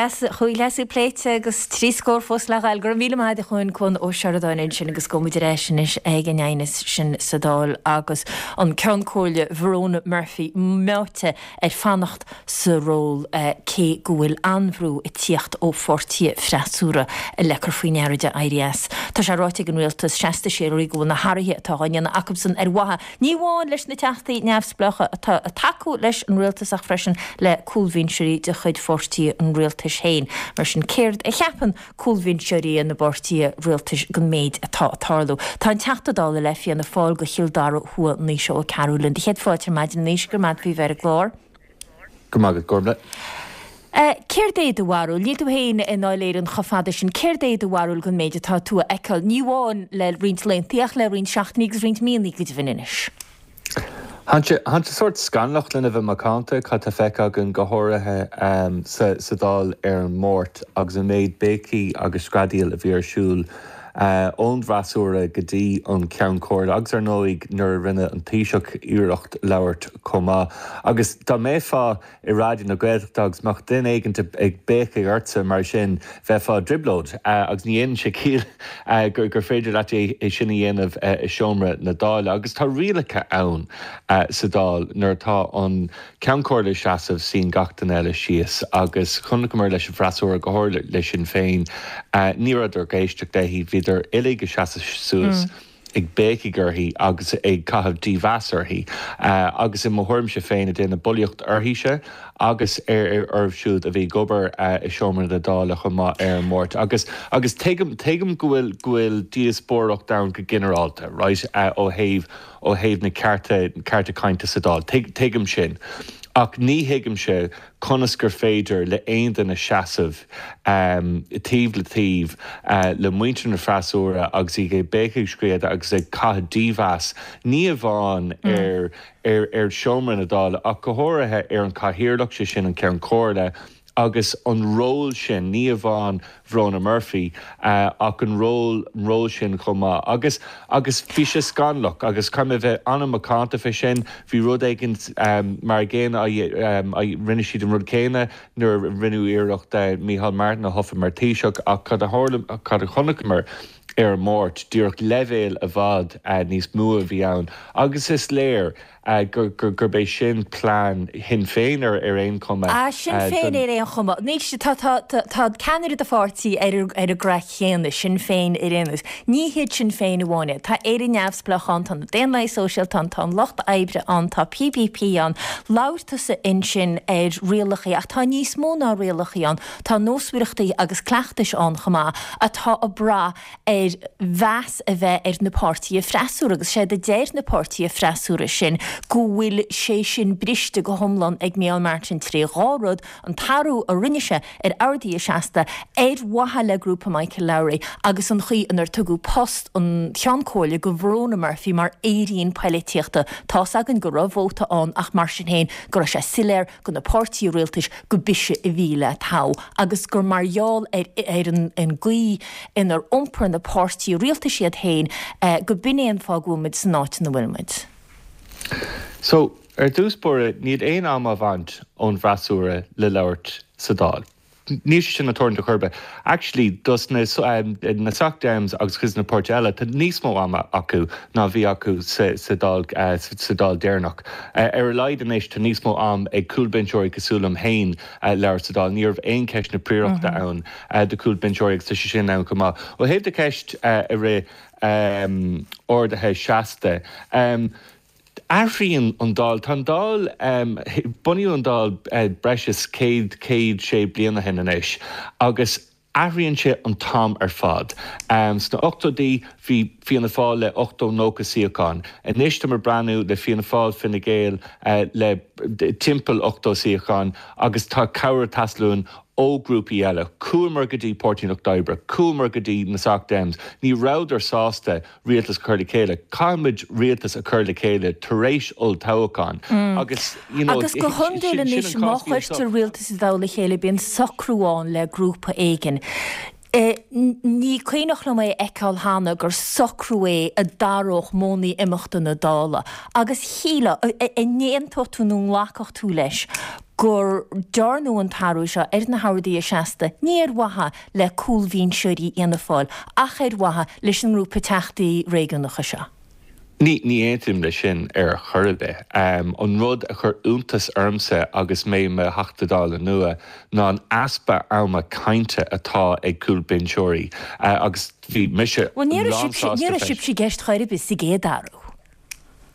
leasú pléite agus trí scór fós le ghabháil. Go raibh míle maith agat a Chuain, Cuan Ó Seireadáin ansin agus gabhfaidh muid ar ais anois ag an aighneas sin sa Dáil agus an Ceann Comhairle Verona Murphy meáite ar fanacht sa ról cé go bhfuil an-bhrú ag tíocht ó pháirtithe freasúra le cur faoi ndeara di éirí as. Tá sé ráite ag an rialtas seasta síoraí go bhfuil na hathruithe atá á ndéanamh acusan ar mhaithe ní amháin leis na teachtaí neamhspleácha atá ag tacú leis an rialtas ach freisin le cúlbhinseoirí de chuid pháirtí an rialtais féin. Mar sin, céard a cheapann cúlbhinseoirí na bpáirtithe rialtais den méid atá ag tarlú? Tá an Teachta Dála le Fianna Fáil do Chill Dara Thuaidh, Naoise Ó Cearúil linn. Do chéad fáilte ar maidin, a Naoise, go raibh maith agat faoi bheith ar an gclár. Go raibh maith agat, Gormlaith. Céard é do bharúil? Níl tú féin i nDáil Éireann chomh fada sin. Céard é do bharúil den méid atá tú a fheiceáil, ní amháin le roinnt laethanta ach le roinnt seachtainí agus roinnt míonna go deimhin anois? Tá sé sórt scannalach lena bheith macánta cad tá feicthe againn go háirithe sa Dáil ar an Máirt agus an méid béicí agus screadaíl a bhí ar siúl ón bhfreasúra go dtí an Ceann Comhairle agus ar ndóigh nuair a rinne an Taoiseach iarracht labhairt chomh maith. Agus dá mbeifeá i Raidió na Gaeltachta agus mbeadh duine éigin ag béicigh ortsa mar sin, bheifeá i dtrioblóid agus ní dhéanann sé ciall gur féidir leat é sin a dhéanamh i seomra na Dála. Agus tá rialacha ann sa Dáil nuair atá an Ceann Comhairle ag seasamh, suíonn gach duine eile síos agus chonaiceamar leis an bhfreasúra, go háirithe le Sinn Féin, ní rabhadar ag éisteacht léi, bhíodar uilig ag seasamh suas. ag béicigh uirthi agus ag caitheamh dímheas uirthi agus i mo thuairimse féin ag déanamh bulaíocht uirthise agus ar orthu siúd a bhí ag obair i seomra na Dála chomh maith ar an Máirt. Agus agus tuigim tuigim go bhfuil go bhfuil díospóireacht ann go ginearálta, right, ó thaobh ó thaobh na cearta cearta cainte sa Dáil. Tuigim sin. Ach ní thuigimse conas gur féidir le aon duine seasamh taobh le taobh le muintir na freasúra agus iad ag béicigh screadaíl agus ag caitheamh dímheas, ní amháin ar ar seomra na Dála ach go háirithe ar an Chathaoirleach, sé sin an Ceann Comhairle, agus an ról sin, ní amháin Verona Murphy ach an ról, an ról sin chomh maith. Agus, agus bhí sé scannalach agus caithfidh mé a bheith an-mhacánta fé sin, bhí rud éigin mar an gcéanna á, rinne siad an rud céanna nuair a rinneadh iarracht Micheál Martin a thoghadh mar Thaoiseach ach cad a tharla, cad a chonaiceamar ar an Máirt, díreach leibhéal i bhfad níos mó a bhí ann agus is léir gurb é sin plean Shinn Féin ar ar aon chuma. Ah, Sinn Féin ar aon chuma. Anois tá tá tá ceannaire do pháirtí ar ar an gcraic chéanna, Sinn Féin ar aon nós. Ní hiad Sinn Féin amháin é. Tá Éire Neamhspleách ann, tá na Daonlathaigh Sóisialta ann, tá an Lucht Oibre ann, tá PPP ann. Labhair tusa ansin ar rialacha ach tá níos mó ná rialacha ann. Tá nósmhaireachtaí agus cleachtais ann chomh maith atá ag brath ar mheas a bheith ar na páirtithe freasúra agus séard a deir na páirtithe freasúra sin go bhfuil sé sin briste go hiomlán ag Micheál Martin tré dhá rud, an t-athrú a rinne sé ar orduithe seasta ar mhaithe le grúpa Michael Lowry agus an chaoi inar tugadh post an Cheann Comhairle go Verona Murphy mar fhéirín poilitíochta. Tá's againn go raibh vóta ann ach mar sin féin go raibh sé soiléir go na páirtithe rialtais go b'ise a bhí le toghadh agus gur mar gheall ar ar an an gcaoi inar iompair na páirtithe rialtais iad féin go b'in é an fáth go bhfuil muid san áit ina bhfuil muid. So, ar dtús báire, níl aon am á bhaint ón bhfreasúra le labhairt sa Dáil. Níl sé sin ag tarlúint ar chor ar bith. Actually, dos na na Soc Dems agus cuid de na páirtithe eile, tá níos mó ama acu ná bhí acu sa sa Dáil sa Dáil deireanach. Ar a laghad anois tá níos mó am ag cúlbhinseoirí cosúil liom féin labhairt sa Dáil. Ní raibh aon ceist na príorachta ann do chúlbhinseoirí agus tá sé sin ann chomh maith. Ó thaobh do cheist a rith orduithe seasta, athraíonn an Dáil. Tá an Dáil, bunaíodh an Dáil breis is céad, céad sé bliana ó shin anois agus athraíonn sé an t-am ar fad. Sna ochtóidí bhí Fianna Fáil le ochtó, nócha suíochán. Anois tá muid ag breathnú le Fianna Fáil, Fine Gael le timpeall ochtó suíochán agus tá cabhair ag teastáil uainn ó ghrúpaí eile. Chuamar go dtí Páirtí an Lucht Oibre, chuamar go dtí na Soc Dems, ní rabhadar sásta rialtas a chur le chéile. Caithfimid rialtas a chur le chéile tar éis olltoghchán agus you know Agus go hiondúil anois má chuirtear rialtas i dtoll a chéile bíonn socrú ann le grúpa éigin. Ní cuimhneach liom é a fheiceáil cheana gur socrú é a d'athródh modhanna imeachta na Dála agus shílfeá, an n-aontódh tú nó an nglacfadh tú leis gur dearnadh an t-athrú seo ar na horduithe seasta ní ar mhaithe le cúlbhinseoirí Fhianna Fáil ach ar mhaithe leis an ngrúpa teachtaí réigiúnacha seo. Ní ní aontaím leis sin ar chor ar bith. An rud a chuir iontas ormsa agus mé i mo Theachta Dála nua ná an easpa ama cainte atá ag cúlbhinseoirí agus bhí mise Bhuel ní raibh sibhse ní raibh sibhse i gceist chor ar bith sa gcéad athrú.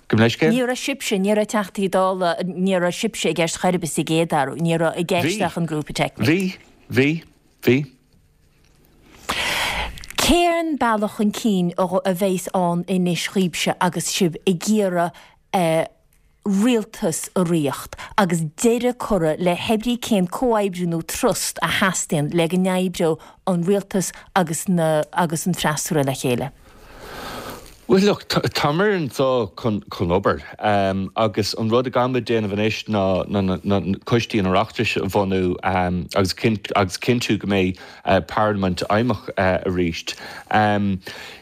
Gabh mo leithscéal? Ní raibh sibhse, ní raibh Teachtaí Dála, ní raibh sibhse i gceist chor ar bith sa gcéad athrú, ní raibh i gceist Bhí. ach an grúpa teicniúil. Bhí. Bhí. Bhí. Cén bealach chun cinn a bheas ann anois dhaoibhse agus sibh ag iarraidh rialtas a ritheacht agus deireadh curtha le hebrí cén comhoibriú nó trust a theastaíonn le go n-oibreodh an rialtas agus na agus an freasúra le chéile? Well look, táimid anseo chun chun obair agus an rud a gcaithfimid déanamh anois ná ná coistí an Oireachtais a bhunú agus agus cinntiú go mbeidh parlaimint fheidhmeach arís.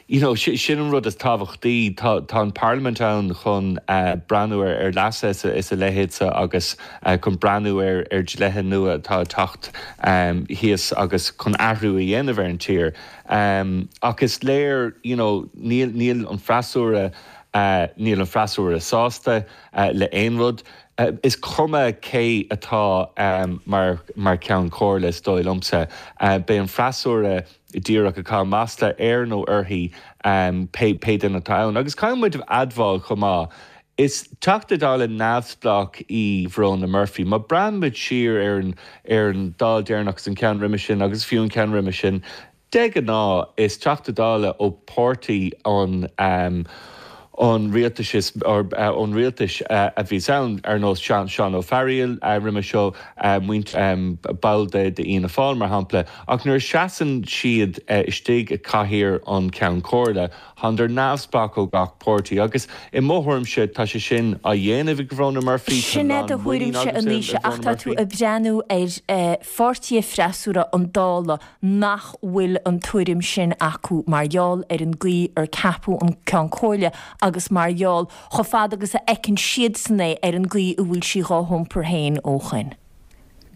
You know, sin an rud is tábhachtaí. Tá tá an parlaimint ann chun breathnú ar ar leasuithe is a leithéid agus chun breathnú ar ar dlíthe nua atá ag teacht thíos agus chun athrú a dhéanamh ar an tír. Ach is léir, you know, níl níl an freasúra níl an freasúra sásta le aon rud. Is cuma cé atá mar mar Cheann Comhairle is dóigh liomsa. Beidh an freasúra díreach ag caitheamh masla air nó uirthi pé pé duine atá ann. Agus caithfidh muid a admháil chomh maith, is Teachta Dála neamhspleách í Verona Murphy. Má breathnaíonn muid siar ar an ar an Dáil deireanach agus an ceann roimhe sin agus fiú an ceann roimhe sin, De ghnáth, is Teachta Dála ó pháirtí an an rialtais is ón rialtais a bhíos ann, ar nós Seán Ó Fearghaíl roimhe seo, ball de Fhianna Fáil, mar shampla. Ach nuair a seasann siad istigh i gcathaoir an Cheann Comhairle, tánn neamhspleách ó gach páirtí. Agus i mo thuairimse, tá sé sin á dhéanamh ag Verona Murphy, tá Sin é do lán muinín thuairimse agamsa anois i ach Verona tá tú Murphy. ag breathnú ar pháirtithe freasúra an Dála nach bhfuil an tuairim sin acu mar gheall ar an gcaoi ar ceapadh an Ceann Comhairle agus mar gheall, chomh fada agus a fheiceann siadsan é, ar an gcaoi a bhfuil sí dhá hiompar féin ó shoin.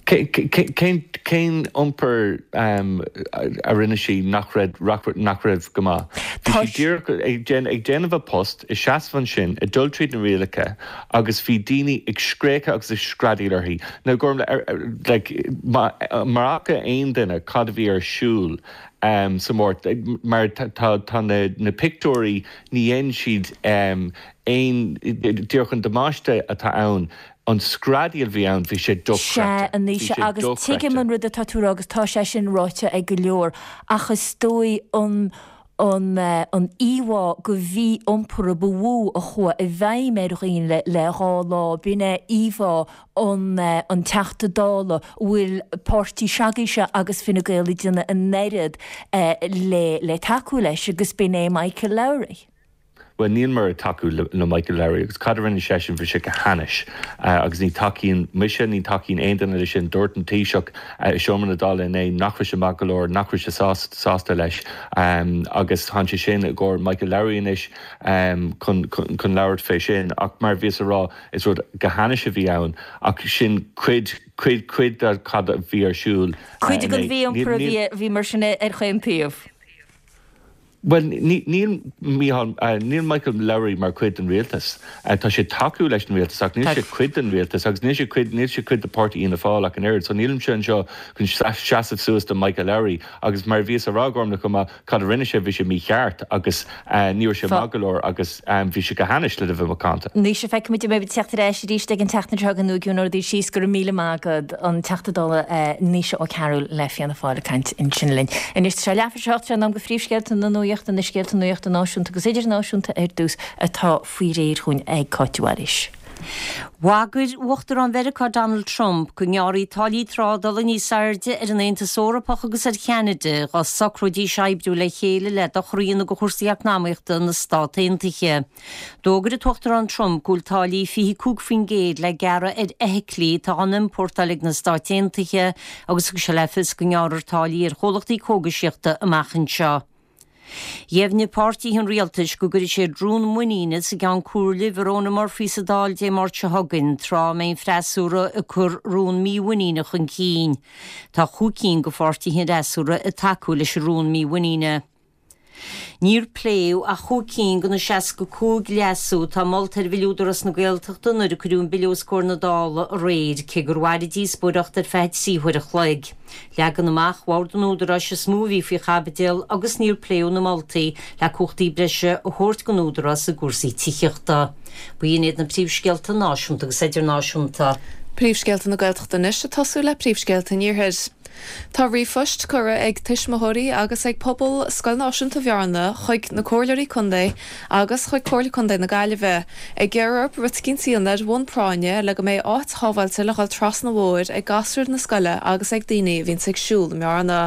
Cén cén iompar a rinne sí nach raibh nach raibh go maith? Bhí sí díreach ag ag déanamh a post i seasamh ansin ag dul tríd na rialacha agus bhí daoine ag scréachadh agus ag screadaíl uirthi. Now Gormlaith like mura bhfaca aon duine cad a bhí ar siúl um, sa Mháirt mar tá tá na na pictiúirí ní dhéanann siad um, aon díreach an damáiste atá ann an screadaíl a bhí ann bhí sé dochreidte. Sea, a Naoise, agus tuigim an rud atá tú a rá agus tá sé sin ráite ag go leor, ach is dóigh an an an íomhá de mhí-iompar a ba mhó a chuaigh i bhfeidhm ar dhaoine le le dhá lá, b'in é íomhá an an Teachta Dála a bhfuil páirtí s'agaibhse agus Fine Gael ag déanamh an oiread le le tacú leis agus b'in é Michael Lowry. Bhuel níl mé ag tacú le, le Michael Lowry agus cad a rinne seisean bhí sé go hainnis agus ní tacaíonn mise ní tacaíonn aon duine leis sin dúirt an Taoiseach i seomra na Dála inné nach raibh sé maith go leor nach raibh sé sásta leis um, agus tá sé sin i gcomhair Michael Lowry anois um, chun, chun, chun labhairt fé sin ach mar bhíos ag rá is rud go hainnis a bhí ann ach sin cuid cuid cuid de cad a bhí ar siúl. Cuid den mhí-iompar a bhí mar sin ar chaon taobh. Well níl níl Michael Lowry mar cuid den rialtas. Tá sé tacú leis an rialtas ach níl sé cuid den rialtas agus níl sé cuid níl sé cuid de páirtí Fhianna Fáil ach an oiread, so nílimse anseo chun seasamh suas do Michael Lowry agus mar bhíos ag rá Gormlaith chomh maith cad a rinne sé bhí sé mícheart agus ní raibh sé maith go leor agus bhí sé go hainnis le bheith macánta. Naoise feicfimid an mbeidh teacht ar ais arís ag an tseachtain seo chugainn nó i gcion síos go raibh míle maith agat an Teachta Dála Naoise Ó Cearúil le Fianna Fáil ag caint ansin linn. Anois tá sé leathuair tar éis a hocht sé in am do phríomhscéalta na nuachta na scéalta nuachta náisiúnta agus idirnáisiúnta ar dtús atá faoi réir chugainn ag Cáit Mhaoilís. Bhagair Uachtarán Mheiriceá Donald Trump go ngearrfaí táillí trádála níos airde ar an Aontas Eorpach agus ar Cheanada dá socróidís oibriú le chéile le dochar a dhéanamh do chúrsaí eacnamaíochta na Stát Aontaithe. D'fhógair an tUachtarán Trump go bhfuil táillí fiche cúig faoin gcéad le gearradh ar fheithiclí atá á n-iompórtáil ag na Stáit Aontaithe agus thug sé le fios go ngearrfar táillí ar chomhlachtaí cógaisíochta amach anseo. Dheimhnigh páirtithe an rialtais go gcuirfidh siad rún muiníne sa gCeann Comhairle Verona Murphy sa Dáil Dé Máirt seo chugainn, tráth a mbeidh an freasúra ag cur rún mímhuiníne chun cinn. Tá chúig cinn de pháirtithe an fhreasúra ag tacú leis an rún mímhuiníne. Níor pléadh ach chúig cinn de na seasca cúig leasú atá molta ar Bhille Údarás na Gaeltachta nuair a cuireadh an bille os comhair na Dála aréir, cé gur mhair an díospóireacht ar feadh trí huaire a chloig. Leagan amach Bhord an Údaráis is mó a bhí faoi chaibidil agus níor pléadh na moltaí le cumhachtaí breise a thabhairt don Údarás i gcúrsaí tithíochta. B'in iad na príomhscéalta náisiúnta agus idirnáisiúnta. Príomhscéalta na Gaeltachta anois ag tosú le príomhscéalta an Iarthair. Tá ríomhphost curtha ag tuismitheoirí agus ag pobal Scoil Náisiúnta Bhearna chuig na Comhairleoirí Contae agus chuig Comhairle Contae na Gaillimhe ag iarraidh orthu rud eicínt a dhéanamh ar bhonn práinne le go mbeidh áit shábháilte le dhul trasna an bhóthair ag gasúir na scoile agus ag daoine a bhíonns ag siúl i mBearna.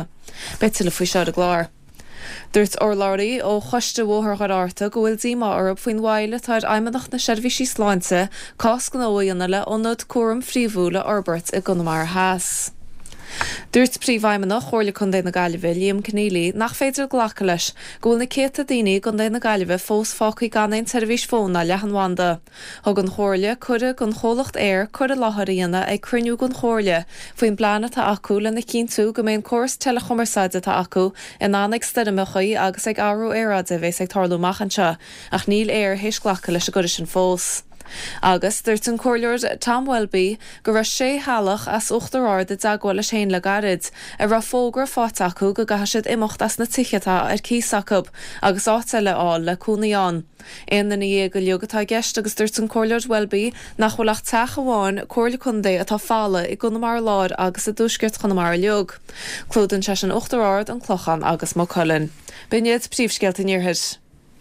Beidh tuilleadh faoi seo ar an gclár. Dúirt urlabhraí ó Choiste Bhóthar Dhoire Fhatharta go bhfuil díomá orthu faoin mhoill atá ar Fheidhmeannacht na Seirbhísí Sláinte cás gnó a dhéanamh le ionad cúraim phríomhúil a fhorbairt i gConamara Theas. Dúirt Príomhfheidhmeannach Chomhairle Contae na Gaillimhe, Liam Conneely, nach féidir glacadh leis go bhfuil na céadta daoine i gContae na Gaillimhe fós fágtha gan aon tseirbhís fóin ná leathanbhanda. Thug an Chomhairle cuireadh don chomhlacht Eir cur i láthair a dhéanamh ag cruinniú den Chomhairle faoin bplean atá acu lena chinntiú go mbeidh an córas teileachumarsáide atá acu in ann ag stoirmeacha agus ag athrú aeráide a bheas ag tarlú amach anseo, ach níl Eir théis glacadh leis an gcuireadh sin fós. Agus dúirt an Comhairleoir Tom Welby go raibh sé theaghlach as Uachtar Ard i dteagmháil leis féin le gairid, a raibh fógra faighte acu go gcaithfidh siad imeacht as na tithe atá ar cíos acu agus áit eile a fháil le cónaí ann. Aon duine dhéag uilig atá i gceist agus dúirt an Comhairleoir Welby nach bhfuil ach teach amháin Comhairle Contae atá folamh i gConamara Láir agus i dtuaisceart Chonamara uilig. Clúdaíonn sé sin Uachtar Ard, An Clochán agus Maigh Cuilinn. B'in iad príomhscéalta an Iarthair.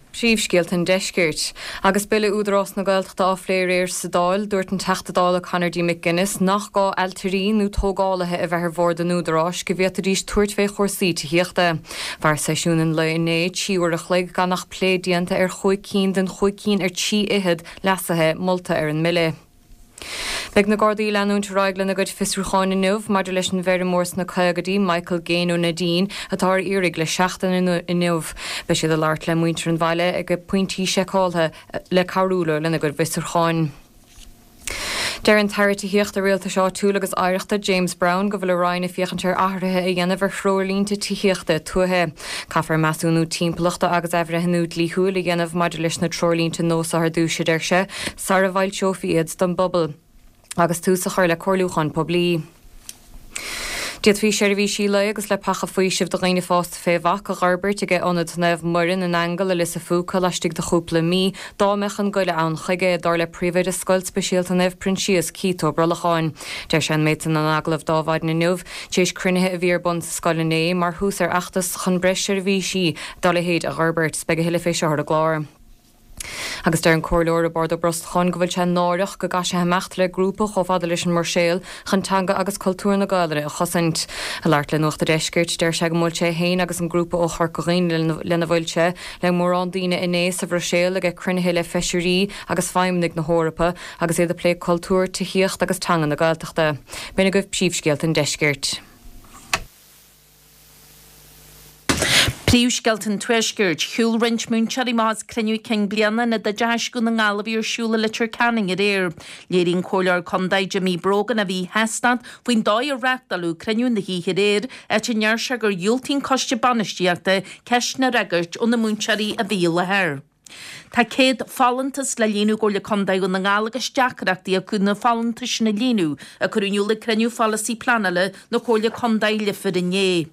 Príomhscéalta an Deiscirt. Agus Bille Údarás na Gaeltachta á phlé aréir sa Dáil, dúirt an Teachta Dála Conor D. McGuinness nach gá ailtirí nó tógálaithe a bheith ar bhord an Údaráis go bhféadfaidís tabhairt fé chúrsaí tithíochta. Mhair seisiún an lae inné trí uair a chloig gan ach plé déanta ar chúig cinn den chúig cinn ar trí fhichead leasuithe molta ar an mbille. Beidh na Gardaí ag leanúint ar aghaidh lena gcuid fiosrúcháin inniu maidir leis an bhfeirmeoir sna caogaidí, Michael Gaine ó Neidín, atá ar iarraidh le seachtain inniu. Beidh siad ag labhairt le muintir an bhaile ag pointí seiceáltha le cabhrú leo lena gcuid bhfiosrúcháin. Deir an tAire Tithíochta Rialtais Áitiúil agus Oidhreachta James Browne go bhfuil a Roinn ag féachaint ar athruithe a dhéanamh ar threoirlínte tithíochta tuaithe. Caithfear measúnú timpeallachta agus athbhreithniú dlíthiúil a dhéanamh maidir leis na treoirlínte nua seo ar dtús, a deir sé, sara bhfoilseofaí iad don bpobal agus tús a chur le comhairliúchán poiblí. D'fhéadfaí seirbhísí lae agus leapacha faoisimh do dhaoine fásta fé bhac a dh'fhorbairt ag Ionad Naomh Muireann in Aingeal i Lios a' Phúca laistigh de chúpla mí, dá mbeadh an goile ann chuige, dar le Príomhoide Scoil Speisialta Naomh Proinsias, Keith Ó Brolacháin. Deir sé an méid san in agallamh d'Adhmhaidin inniu, tar éis cruinnithe a bhí ar bun sa scoil inné, mar thús ar fheachtas chun breis seirbhísí dá leithéid a dh'fhorbairt. Beidh a thuilleadh fé seo ar an gclár. Agus deir an Comhairleoir Roibeárd Ó Brosnacháin go bhfuil sé náireach go gcaithfidh sé imeacht le grúpa chomh fada leis an mBruiséil chun teanga agus cultúr na Gaelainne a chosaint. Ag labhairt le Nuacht a' Deiscirt, deir sé go mbuail sé féin agus an grúpa ó Chorca Dhuibhne lena bhfuil sé le mórán daoine inné sa Bhruiséil ag cruinnithe le feisirí agus feidhmeannaigh na hEorpa agus iad ag plé cultúr, tithíocht agus teanga na Gaeltachta. B'in agaibh príomhscéalta an deiscirt. Príomhscéalta an Tuaiscirt, Shiúil roinnt múinteoirí amach as cruinniú cinn bliana Ionad Oideachais Dhún na nGall a bhí ar siúl i Leitir Ceanainn aréir. Léirigh an Comhairleoir Contae Jimmy Brogan a mhíshástacht faoin dóigh ar reáchtáladh cruinniú na hoíche aréir, áit a ndeir sé gur dhiúltaigh an coiste bainistíochta ceisteanna a fhreagairt ó na múinteoirí a bhí i láthair. Tá céad folúntas le líonadh i gComhairle Contae Dhún na nGall agus deacrachtaí acu na folúntais sin a líonadh, a cuireadh in iúl ag cruinniú pholasaí pleanála na Comhairle Contae Leifear inné.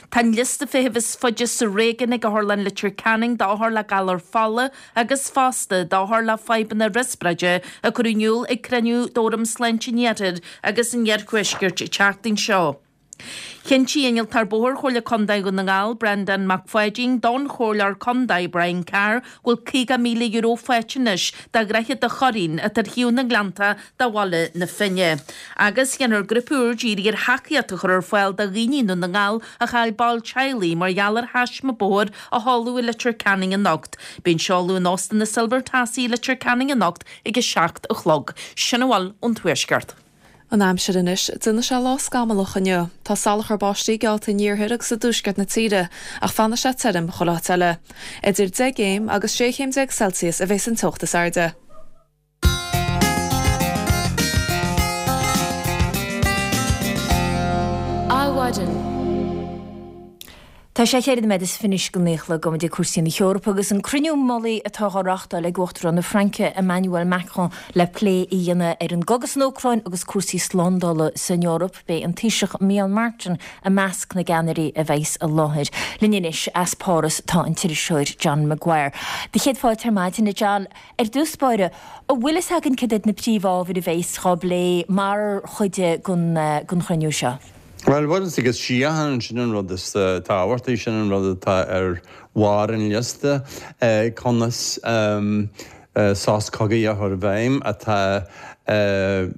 Tá an liosta feithimh is faide sa réigiún ag Otharlann Leitir Ceanainn d'othair le galar fola agus fosta d'othair le fadhbanna riospráide a cuireadh in iúl ag cruinniú d'Fhóram Sláinte an Iarthair agus an Iarthuaiscirt an tseachtain seo. Chinntigh Innealtóir Bóthair Chomhairle Contae Dhún na nGall, Breandán Mac Pháidín, don Chomhairleoir Contae Brian Carr go bhfuil caoga míle euro faighte anois do Dhroichead a' Churraoin atá ar thaobh na nGleannta de Bhaile na Finne. Agus déanfar grúpa úr dírithe ar thacaíocht a chur ar fáil do dhaoine i nDún na nGall a chaill ball teaghlaigh mar gheall ar thaisme bóthair a tharla i Leitir Ceanainn anocht. Beidh an seoladh in Óstán na Silver Tassie i Leitir Ceanainn anocht ag a seacht a chlog. Sin a bhfuil ón Tuaisceart. An aimsir anois, déanfaidh sé lá scamallach inniu. Tá salachar báistí geallta in iarthar agus i dtuaisceart na tíre, ach fanfaidh sé tirim chuile áit eile. Idir deich gcéim agus sé chéim déag Celsius a bheas an teocht is airde. Adhmhaidin. Tá sé cheithre nóiméad is fiche anois go naoi a chlog gabhfaidh muid ag cúrsaí na hEorpa agus an cruinniú mullaigh atá á reáchtáil ag Uachtarán na Fraince, Emmanuel Macron, le plé a dhéanamh ar an gcogadh san Úcráin agus cúrsaí slándála san Eoraip. Beidh an Taoiseach Micheál Martin i measc na gceannairí a bheas i láthair. Linn anois as Páras tá an t-iriseoir John Maguire. Do chéad fáilte ar maidin, a John. Ar dtús báire, an bhfuil fhios againn cad iad na príomhábhair a bheas á bplé mar chuid den chruinniú seo? Bhuel, bhuel, is agus síocháin, sin an rud is tábhachtaí, sin an rud atá ar bharr an liosta, conas sos cogaidh a chur i bhfeidhm atá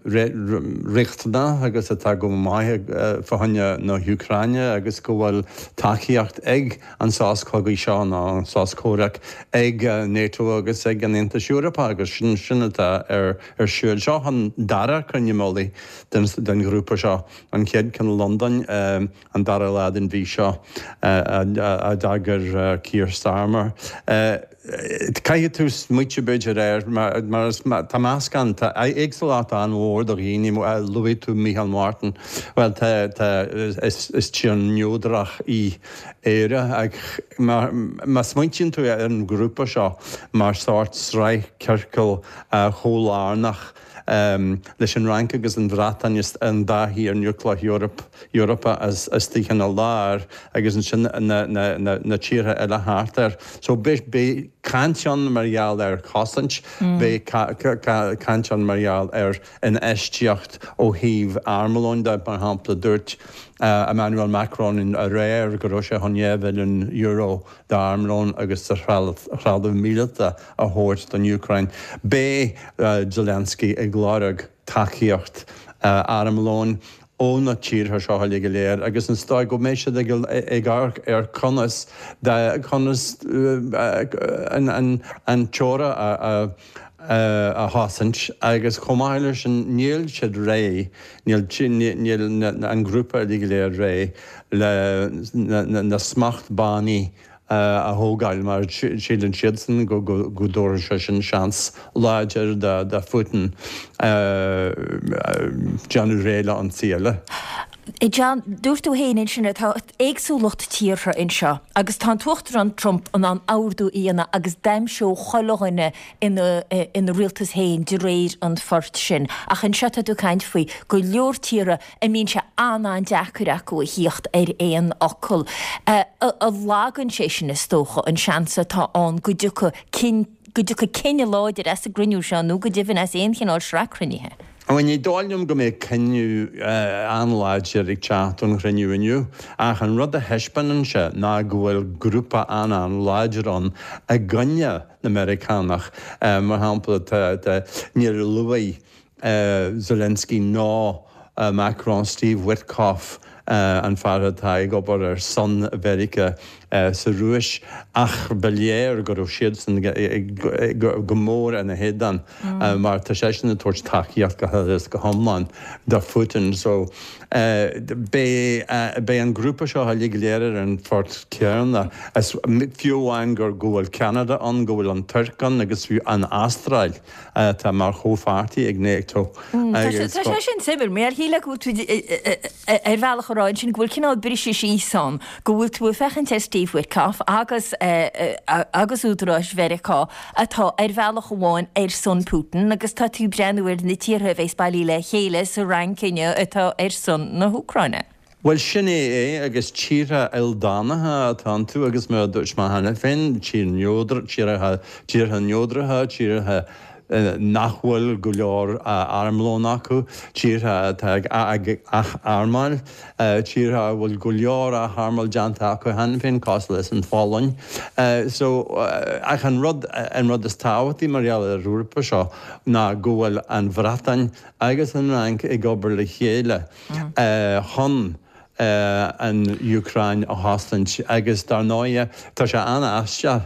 riachtanach agus atá go maith fá choinne na hÚcráine agus go bhfuil tacaíocht ag an sos cogaidh seo nó an sos comhraic ag NATO agus ag an Aontas Eorpach agus sin sin atá ar ar siúl. Seo an dara cruinniú mullaigh den den ghrúpa seo, an chéad ceann i Londain an dara lá den mhí seo a d'eagraigh Keir Starmer. Caithfidh tú smaoitiú b'fhéidir air mar tá meascán, tá éagsúlacht an-mhór de dhaoine, luaigh tú Micheál Martin, bhuel tá, tá, is tír neodrach í Éire ach má smaointíonn tú ar an ghrúpa seo mar sórt sraith ciorcal chomhlárnach, leis an Fhrainc agus an Bhreatain is an dá thír núicléach Eorpach istigh ina lár agus ansin na tíortha eile thart air. So beidh caint ann mar gheall ar chosaint, beidh caint ann mar gheall ar infheistíocht ó thaobh armlóin de. Mar shampla, dúirt Emmanuel Macron aréir go raibh sé chun dhá bhilliún euro d'armlón agus de threalamh míleata a thabhairt don Úcráin. Beidh Zelensky ag lorg tacaíocht armlóin ó na tíortha seo uilig go léir agus is dóigh go mbeidh siad ag amharc ar conas conas an teora a a chosaint agus chomh maith leis sin níl siad réidh, níl an grúpa uilig go léir réidh le na smachtbhannaí a thógáil mar síleann siadsan go dtabharfaidh sé sin seans láidir do Phutin déanamh réidh le ionsaí eile. John, dúirt tú féin ansin tá éagsúlacht tíortha anseo agus tá an tUachtarán Trump in ann ordú a dhéanamh agus d'aimseodh chuile dhuine ina ina rialtas féin de réir an phoirt sin. Ach anseo tá tú ag caint faoi go leor tíortha a mbíonn sé an-an-deacair acu a thíocht ar aon fhocal. A lagann sé sin is dócha an seans atá ann go dtiocfaidh cinn go dtiocfaidh cinneadh láidir as an gcruinniú seo nó go deimhin as aon chineál sraith cruinnithe. Bhuel, ní dóigh liom go mbeidh cinneadh an-láidir ag teacht ón chruinniú inniu, ach an rud a thaispeánann sé ná go bhfuil grúpa an-an-láidir ann i gcoinne na Meiriceánach. Mar shampla, tá, níor luaigh Zelensky ná Macron Steve Witkoff, an fear atá ag obair ar son Mheiriceá sa Rúis, ach ba léir go raibh siadsan go mór ina héadan mar tá seisean ag tabhairt tacaíocht go huile is go hiomlán do Phutin. So beidh an grúpa seo uilig go léir ar an phort céanna, fiú amháin go bhfuil Ceanada ann, go bhfuil an Tuirc ann agus fiú an Astráil atá mar chomhpháirtí ag NATO. Tá sé sin suimiúil, mar shílfeá go bhfuil tú ar bhealach a rá ansin go bhfuil cineál briseadh síos ann, go bhfuil tú ag féachaint ar Steve Witkoff agus agus údaráis Mheiriceá atá ar bhealach amháin ar son Putin agus tá tú ag breathnú ar na tíortha a bheas bailithe le chéile sa Fhrainc inniu atá ar son na hÚcráine. Bhuel, sin é é, agus tíortha ildánacha atá iontu agus mar a dúirt mé cheana féin, tír neodr, tíortha, tíortha neodracha, tíortha nach bhfuil go leor armlón acu, tíortha atá ag ath-armáil, tíortha a bhfuil go leor ath-armáil déanta acu cheana féin, cosúil leis an Pholainn. So, ach an rud, an rud is tábhachtaí mar gheall ar an ghrúpa seo ná go bhfuil an Bhreatain agus an Fhrainc ag obair le chéile chun an Úcráin a chosaint agus dar ndóighe tá sé an-aisteach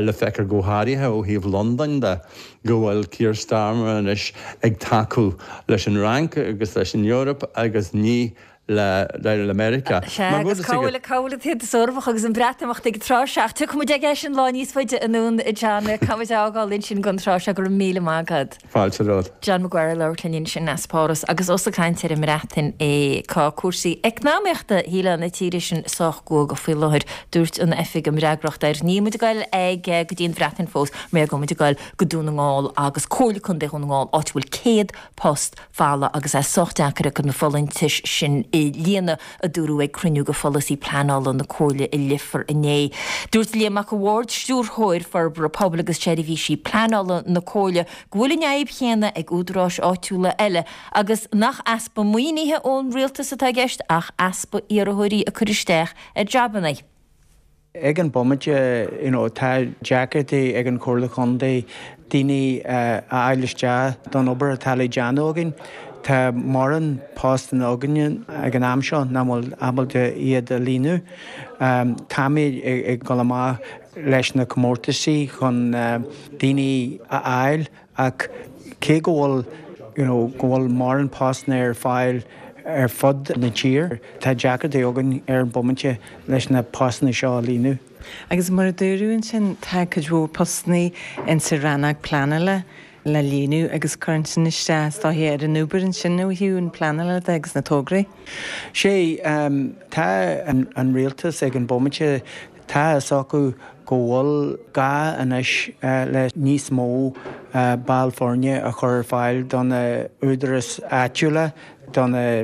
le feiceáil go háirithe ó thaobh Londain de go bhfuil Keir Starmer anois ag tacú leis an Fhrainc agus leis an Eoraip agus ní le le Meiriceá. Sea, agus cá bhfuil cá bhfuil an tAontas Eorpach agus an Breatimeacht ag an tráth seo? Ach tiocfaidh muid aige sin lá níos faide anonn, a John. Caithfidh muid a fhágáil ansin don tráth seo. Go raibh míle maith agat. Fáilte romhat. John Maguire ag labhairt linn ansin as Páras agus ós ag caint ar an mBreatain é tá cúrsaí eacnamaíochta shílfeá na tíre sin sách guagach faoi láthair, dúirt an oifig a mb'fhreagracht air. Níl muid ag goil ag go dtí an Bhreatain fós, mar go muid ag goil go Dún na nGall agus Comhairle Contae Dhún na nGall áit a bhfuil céad post folamh agus é sách deacair acu na folúntais sin a líonadh, a dúradh ag cruinniú de pholasaí pleanála na Comhairle i Leifear inné. Dúirt Liam Mac a' Bhaird, Stiúrthóir Forbartha Pobail agus Seirbhísí Pleanála na Comhairle, go bhfuil an fhadhb chéanna ag údaráis áitiúla eile agus nach easpa maoinithe ón rialtas atá i gceist ach easpa iarrthóirí ag cur isteach ar jabanna. Ag an bomaite, you know, tá deacrachtaí ag an Chomhairle Chontae daoine a fháil isteach don obair atá le déanamh againn. Tá mórán postanna againne ag an am seo nach bhfuil ábalta iad a líonadh. Táimid ag dul amach leis na comórtaisí chun daoine a fháil ach cé go bhfuil, you know, go bhfuil mórán postanna ar fáil ar fud na tíre, tá deacrachtaí againn ar an bomaite leis na postanna seo a líonadh. Agus mar a dúradh ansin, tá cuid mhór postanna insa rannóg pleanála le líonadh agus cuireann sin isteach is dóiche ar an obair ansin ó thaobh an pleanála de agus na tograí. Sé, tá an rialtas ag an bomaite, tá a fhios acu go bhfuil gá anois le níos mó ball foirne a chur ar fáil do na údaráis áitiúla, do na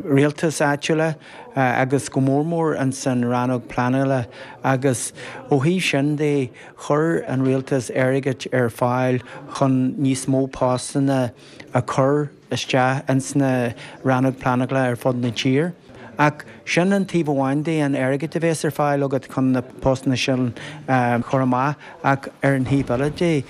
rialtais áitiúla agus go mór mór ins an rannóg pleanála agus ó thaobh sin de chuir an rialtas airgead ar fáil chun níos mó postanna a chur isteach ins na rannóg pleanála ar fud na tír. Ach sin an taobh amháin de, an airgead a bhéas ar fáil agat chun na postanna sin a chur amach, ach ar an thaobh eile de,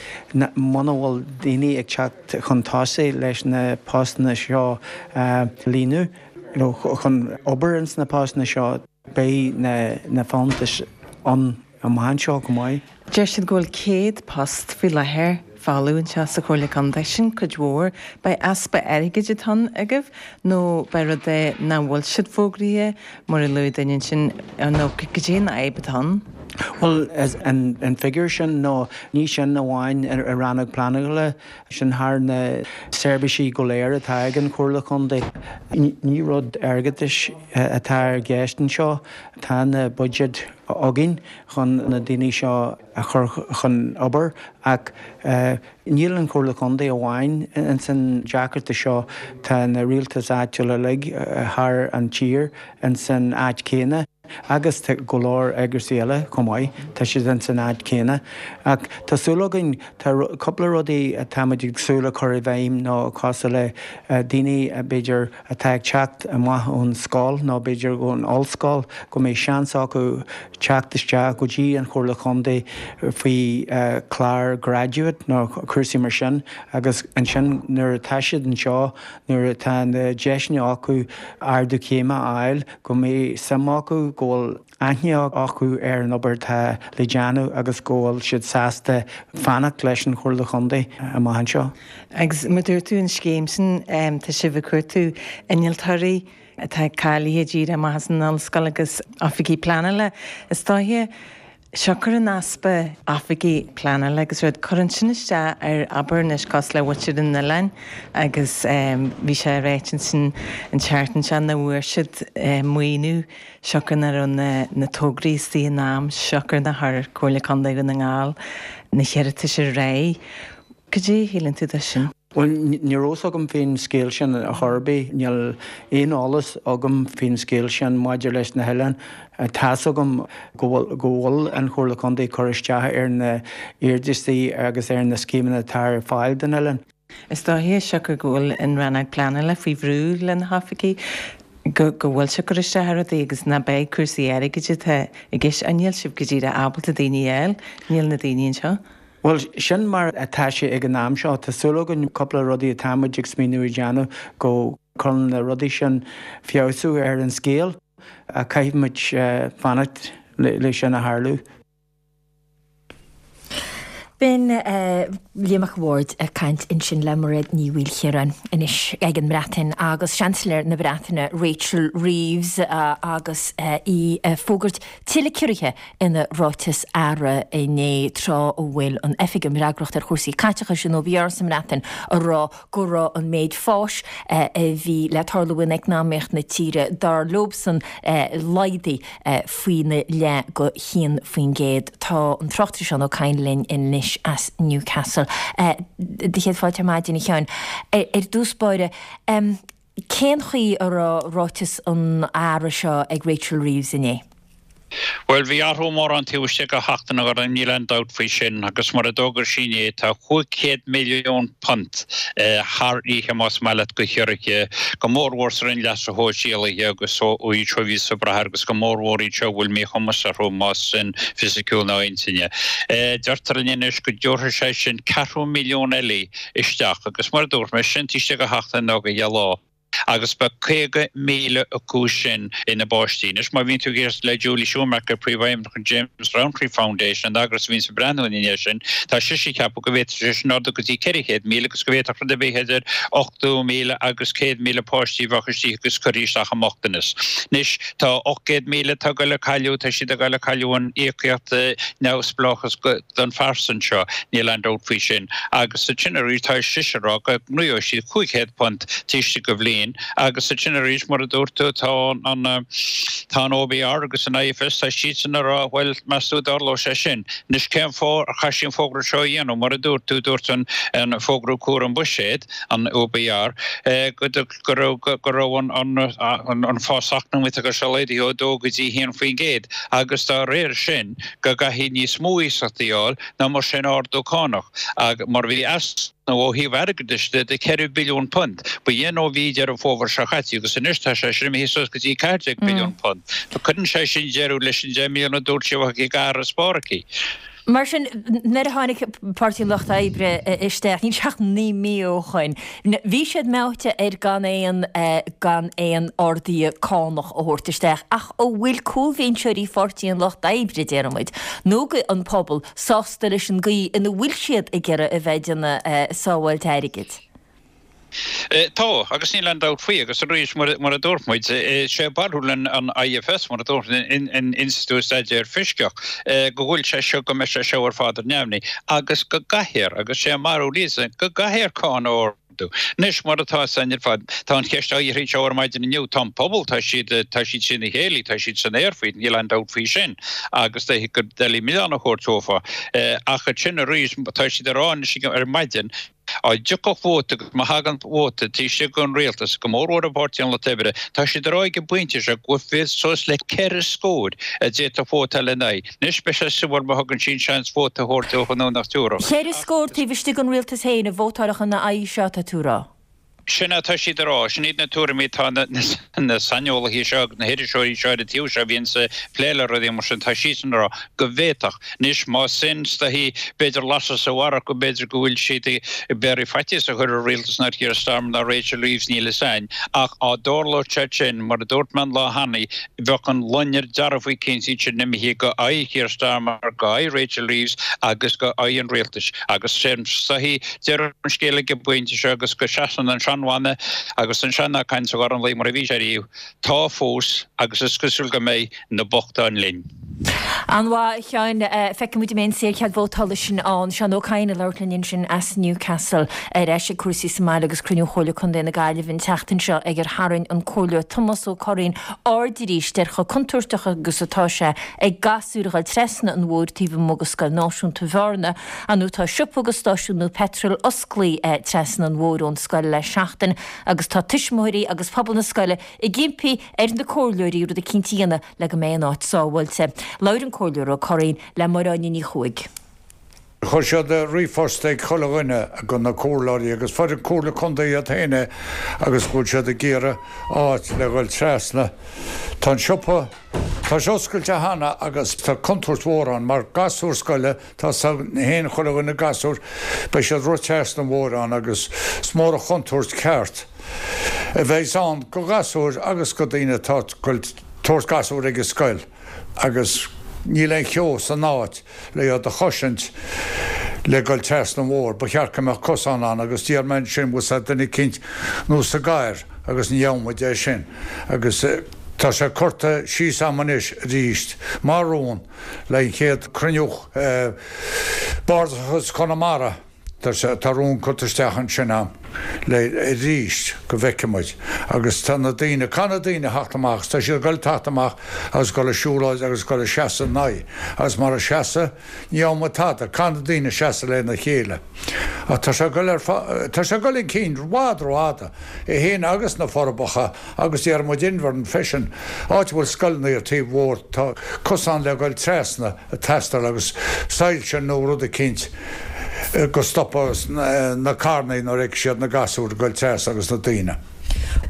muna bhfuil daoine ag teacht chun tosaigh leis na postanna seo a líonadh, nó chun obair ins na postanna seo, beidh na folúntais ann amach anseo chomh maith. Deir siad go bhfuil céad post faoi láthair folamh anseo sa Chomhairle Contae. Sin cuid mhór. B'é easpa airgid atá ann agaibh nó b'é rud é nach bhfuil siad fógraithe mar a luaigh duine ansin nó goidé an fhadhb atá ann? Bhuel, an figiúr sin nó ní sin amháin i rannóg pleanála, sin thar na seirbhísí go léir atá ag an Chomhairle Contae. Ní rud airgeadais atá i gceist anseo, tá na buiséid againn chun na daoine seo a chur chun obair ach níl an Chomhairle Contae amháin ins an deacrachta seo, tá na rialtais áitiúla uilig thar an tír ins an áit céanna. Agus tá go leor eagraisí eile chomh maith, tá siad ins an áit céanna. Ach tá súil againn, tá cúpla rudaí atáimid ag súil a chur i bhfeidhm nó cosúil le daoine b'fhéidir atá ag teacht amach ón scoil nó b'fhéidir ón ollscoil go mbeidh seans acu teacht isteach go dtí an Chomhairle Chontae faoi chlár graduate nó cúrsaí mar sin agus ansin nuair atá siad anseo, nuair atá na deiseanna acu ardú céime a fháil go mbeidh suim acu, go bhfuil aithne acu ar an obair atá le déanamh agus go bhfuil siad sásta fanacht leis an Chomhairle Chontae amach anseo. Agus mar dúirt tú an scéim sin, tá sibh ag cuartú innealtóirí atá cáilithe díreach amach as an ollscoil agus oifigigh pleanála. Is dóiche, siocair an easpa oifigigh pleanála agus rud, cuireann sin isteach ar obair anois cosúil le muintir an oileáin agus bhí sé ráite ansin an tseachtain seo nach bhfuair siad maoiniú siocair nach raibh na tograí istigh in am, siocair nár chuir Comhairle Contae Dhún na nGall na hiarratais ar aghaidh. Cad é a shíleann tú de sin? Bhuel, ní raibh fhios agam faoin scéal sin ar chor ar bith. Níl aon eolas agam faoin scéal sin maidir leis na hoileáin. Tá's agam go bhfuil go bhfuil an Chomhairle Contae ag cur isteach ar na hiarrataisí agus ar na scéimeanna atá ar fáil don oileán. Is dóiche, siocair go bhfuil an rannóg pleanála faoi bhrú le na hoifigigh, go go bhfuil sé ag cur isteach ar rudaí agus ná beidh cúrsaí airgid atá i gceist. Níl sibh go díreach ábalta daoine a fháil, níl na daoine anseo. Bhuel, sin mar atá sé ag an am seo. Tá súil againn cúpla rudaí atá muid ag smaoineamh a dhéanamh go gcuireann na rudaí sin feabhsú ar an scéal ach caithfidh muid fanacht le sin a tharlú. B'in Liam Mac a' Bhaird ag caint ansin le Mairéad Ní Mhaoilchiaráin anois ag an mBreatain agus Seansailéir na Breataine Rachel Reeves agus í ag fógairt tuilleadh ciorruithe ina ráiteas aire inné tráth a bhfuil an Oifig um Fhreagracht ar Chúrsaí Caiteachais, an OBR sa mBreatain, ag rá go raibh an méid fáis a bhí le tarlú in eacnamaíocht na tíre, dar leobsan, laghdaithe faoina leath go haon faoin gcéad. Tá an tráchtaire Seán Ó Cadhain linn anois as Newcastle. Do chéad fáilte ar maidin, a Sheáin. Ar dtús báire, cén chaoi a raibh ráiteas an aire seo ag Rachel Reeves inné? Bhuel, bhí athrú mór ann taobh istigh de sheachtain, a Ghormfhlaith, níl aon dabht faoi sin, agus mar a d'fhógair sí inné, tá cúig chéad milliún punt thar oíche, más maith leat, de chiorruithe, go mórmhór sa Roinn Leasa Shóisialaithe agus iad seo a bhíos ag brath air agus go mórmhór iad seo a bhfuil míchumas orthu, más sin fisiciúil nó intinne. Deirtear linn anois go dtabharfaidh sé sin ceathrú milliún eile isteach agus mar a dúirt mé, sin taobh istigh de sheachtain nó de dheich lá. agus beidh caoga míle acu sin ina bpáistí. Anois, má bhíonn tú ag éisteacht le Julie Schumacher, Príomhfheidhmeannach an James Rowntree Foundation, an eagras a bhíonns ag breathnú ina dhiaidh sin, tá sise ag ceapadh go bhféadfadh sé sin ardú go dtí ceithre chéad míle agus go bhféadfadh rud ar bith idir ochtó míle agus céad míle páistí a bheadh istigh agus curtha isteach i mbochtanas. Anois, tá ocht gcéad míle atá ag dul a cailleadh, tá siad ag dul a cailleadh an íocaíocht neamhspleáchas don phearsan seo, níl aon dabht faoi sin. Agus ansin arís, tá sise ag rá go ngnóthóidh siad cúig chéad punt taobh istigh de bhliain agus ansin arís, mar a dúirt tú, tá an tá an OBR agus an IFS, tá siadsan ag rá, bhuel, meas tú an dtarlóidh sé sin? Anois, cén fáth ar chaith sí an fógra seo a dhéanamh? Mar a dúirt tú, dúirt an an fógra cúram buiséid, an OBR, go go raibh go raibh an an an fás eacnamaíoch agus seo laghdaithe ó dó go dtí haon faoin gcéad agus dá réir sin go gcaithfidh níos mó iasachtaí a fháil ná mar sin ardú cánach ag mar bhí easnamh ó thaobh airgeadais de de ceithre billiún punt ba shin ó mhí Deireadh Fómhair seo caite agus anois tá sé sin imithe suas go dtí ceathair déag billiún punt. Cuireann sé sin deireadh leis an deich mbliana a dúirt sí a bheadh ag farasbarr aici. Mar sin, nuair a tháinig Páirtí an Lucht Oibre isteach, níl sé ach naoi mí ó shoin, bhí siad meáite ar gan aon gan aon arduithe cánach a thabhairt isteach, ach an bhfuil cúlbhinseoirí Pháirtí an Lucht Oibre, déarfaidh muid, nó an pobal, sásta leis an gcaoi ina bhfuil siad ag iarraidh a bheith ag déanamh sábháilt airgid? Tá, agus níl aon dabht faoi, agus arís, mar a dúirt muid, sé barúil an IFS, mar a dúirt an Institiúid Staidéar Fioscach, go bhfuil sé seo, go mbeidh sé seo ar fad ar neamhní, agus go gcaithfear, agus sé a mbarúil iadsan, go gcaithfear cáin a ardú. Anois, mar atá san ar fad, tá an cheist á iarraidh anseo ar maidin inniu, tá an pobal, tá siad, tá siad trína chéile, tá siad san aer faoi, níl aon dabht faoi sin, agus gur doiligh milleán a thabhairt dófa. Ach ansin arís, tá siad ag rá anois ar maidin, Dá dtiocfadh vóta agus má thagann vóta taobh istigh den rialtas, go mórmhór i bPáirtí an Lucht Oibre, tá siad ag rá ag an bpointe seo go bhfuil suas le ceithre scór a d'fhéadfadh vótáil ina aghaidh. Anois beidh sé suimiúil má thugann sin seans vóta a thabhairt dóibh nó nach dtabharfadh. Ceithre scór taobh istigh den rialtas féin a vótálfadh ina aghaidh seo, tá tú a rá. Sin atá siad a rá. Sin iad na tuairimí atá na saineolaithe seo agus na hiriseoirí seo ar an taobh seo a bhíonns ag plé le rudaí mar sin, tá siadsan a rá go bhféadfadh. Anois, más sin, is dóichí, b'fhéidir lasadh sa bharrach go mb'fhéidir go bhfuil siad ag iarraidh faitíos a chur ar rialtas ná Keir Starmer ná Rachel Reeves, níl fhios a'inn. Ach á dtarlódh sé sin, mar a dúirt mé an lá cheana, bheadh an loinnir dearfach eicínt sin imithe go aghaidh Keir Starmer, go aghaidh Rachel Reeves agus go aghaidh an rialtais. Agus sin, is dóichí, deireadh an scéil ag an bpointe seo agus go seasann an seanmhana agus an sean-nath cainte a Ghormfhlaith mar a bhí sé riamh, tá fós agus is cosúil go mbeidh na bochtáin linn. An-mhaith, a Sheáin. Feicfidh muid an mbeidh an saorchead vótála sin ann. Seán Ó Cadhain ag labhairt linn ansin as Newcastle. Ar ais ag cúrsaí sa mbaile agus cruinniú Chomhairle Contae na Gaillimhe an tseachtain seo ag ar tharraing an Comhairleoir Tomás Ó Curraoin aird arís ar chomh contúirteach agus atá sé ag gasúir a dhul trasna an bhóthair taobh amuigh de Scoil Náisiúnta Bhearna. Ar ndóigh tá siopa agus stáisiún nua peitril osclaithe trasna an bhóthair ón scoil le seachtain agus tá tuismitheoirí agus pobal na scoile ag impí ar na comhairleoirí rud eicínt a dhéanamh le go mbeidh an áit sábháilte. Labhair an Comhairleoir Ó Curraoin le Máire Áine Ní Chuaig. Chuir siad ríomhphost ag chuile dhuine go na comhairleoirí agus fuair an Comhairle Contae iad féin é agus go bhfuil siad ag iarraidh áit le dhul trasna. Tá an siopa, tá sé oscailte cheana agus tá contúirt mhór ann mar gasúr scoile, tá 's a'inn féin chuile dhuine gasúr, beidh siad ag rith trasna an bhóthair ann agus is mór an chontúirt ceart a bheas ann go ghasúir agus go daoine atá ag tabhairt gasúr ag an scoil agus níl aon cheo san áit le iad a chosaint le dhul trasna an bhóthair. Ba cheart go mbeadh cosán ann agus d'iarr mé ansin bhfuil 's a'd duine eicínt nó sa gcarr agus ní dhearna muid é sin agus tá sé curtha síos a'm anois arís mar rún le an chéad cruinniú Bardasach Chonamara. Tá rún curtha isteach ansin a'm le arís go bhfeicfidh muid agus tá na daoine, caithfidh na daoine theacht amach agus tá siad ag goil teacht amach agus goil ag siúlóid agus goil ag seasamh ina aghaidh agus mara seasadh ní gheobhaidh muid tada, caithfidh na daoine seasamh lena chéile. Ach tá sé ag goil ar, tá sé ag goil chun cinn i bhfad rófhada, é féin agus na Forbacha agus déarfaidh muid Inbhear freisin, áit a bhfuil scoileanna ar taobh bhóthair, tá cosán le goil trasna ag teastáil agus soilse nó rud eicínt. go stopfadh na carrannaí nuair a fheicfidh siad na gasúir ag goil trasna agus na daoine.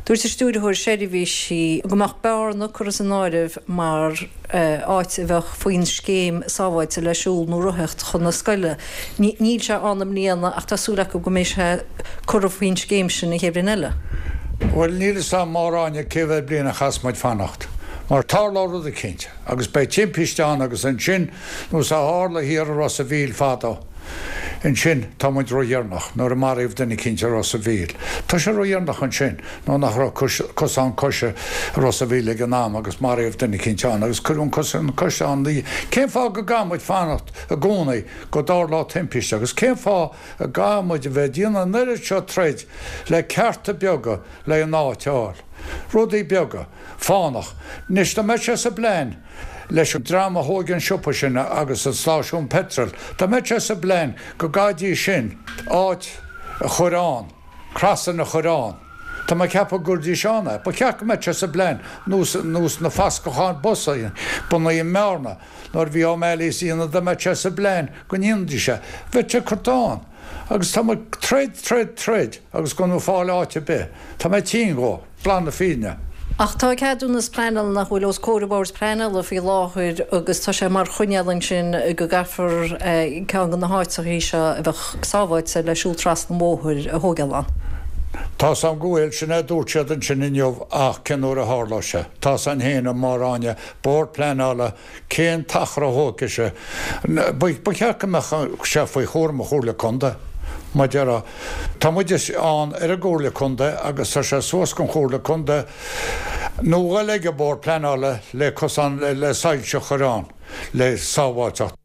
Dúirt an Stiúrthóir Seirbhísí go mbeadh Bearna curtha san áireamh mar áit a bheadh faoin scéim sábháilte le siúl nó rothaíocht chun na scoile. Níl sé ann i mbliana ach tá súil acu go mbeidh sé curtha faoin scéim sin an chéad bhliain eile. Bhuel, níl fhios a'm Máire Áine cé mhéad bliain a chaithfeas muid fanacht mar tarlóidh rud eicínt agus beidh timpiste ann agus ansin nós a tharla thiar i Ros a' Mhíl fadó. Ansin, tá muid ródheireanach, nuair a maraíodh duine eicínt i Ros a' Mhíl. Tá sé ródheireanach ansin, nó nach raibh cosán coise i Ros a' Mhíl ag an am agus maraíodh duine eicínt ann agus cuireadh an cosán coise ann. Cén fáth go gcaithfidh muid fanacht i gcónaí go dtarlóidh timpiste agus cén fáth a gcaithfidh muid a bheith ag déanamh an oiread seo troid le cearta beaga le an áit a fháil? Rudaí beaga. Fánach. Anois, dá mbeadh sé sa bplean leis an dream a thóig an siopa sin agus an stáisiún peitril, dá mbeadh sé sa bplean go gcaithfidís sin áit a chur ann, crossing a chur ann, tá mé ag ceapadh go gcuirfidís ann é. Ba cheart go mbeadh sé sa bplean, nós, nós na fascacháin bus bunaithe i mBearna nuair a bhí O'Malley's á dhéanamh, dá mbeadh sé sa bplean go ndéanfaidís é, bheadh sé curtha ann. Agus tá muid troid, troid, troid agus gan fáil áit ar bith. Tá mé tinn dhó, glan na fírinne. Ach tá ceadúnas pleanála nach bhfuil os comhair an Bhoird Pleanála faoi láthair agus tá sé mar choinníoll ansin go gcaithfear ceann de na háiteachaí seo a bheadh sábháilte le siúl trasna an bhóthair a thógáil ann. Tá's a'm go bhfuil, sin é a dúirt siad ansin inniu ach cén uair a tharlóidh sé? Tá's a'inn féin, a Mháire Áine, Bord Pleanála, cén t-achar a thógfaidh sé? Ba cheart go mbeadh sé faoi chúram an Chomhairle Contae. Mar a déarfá, tá muid ann ar an gComhairle Contae agus tá sé suas don Chomhairle Contae nó dhul ag an Bord Pleanála le cosán le soilse a chur ann le sábháilteacht.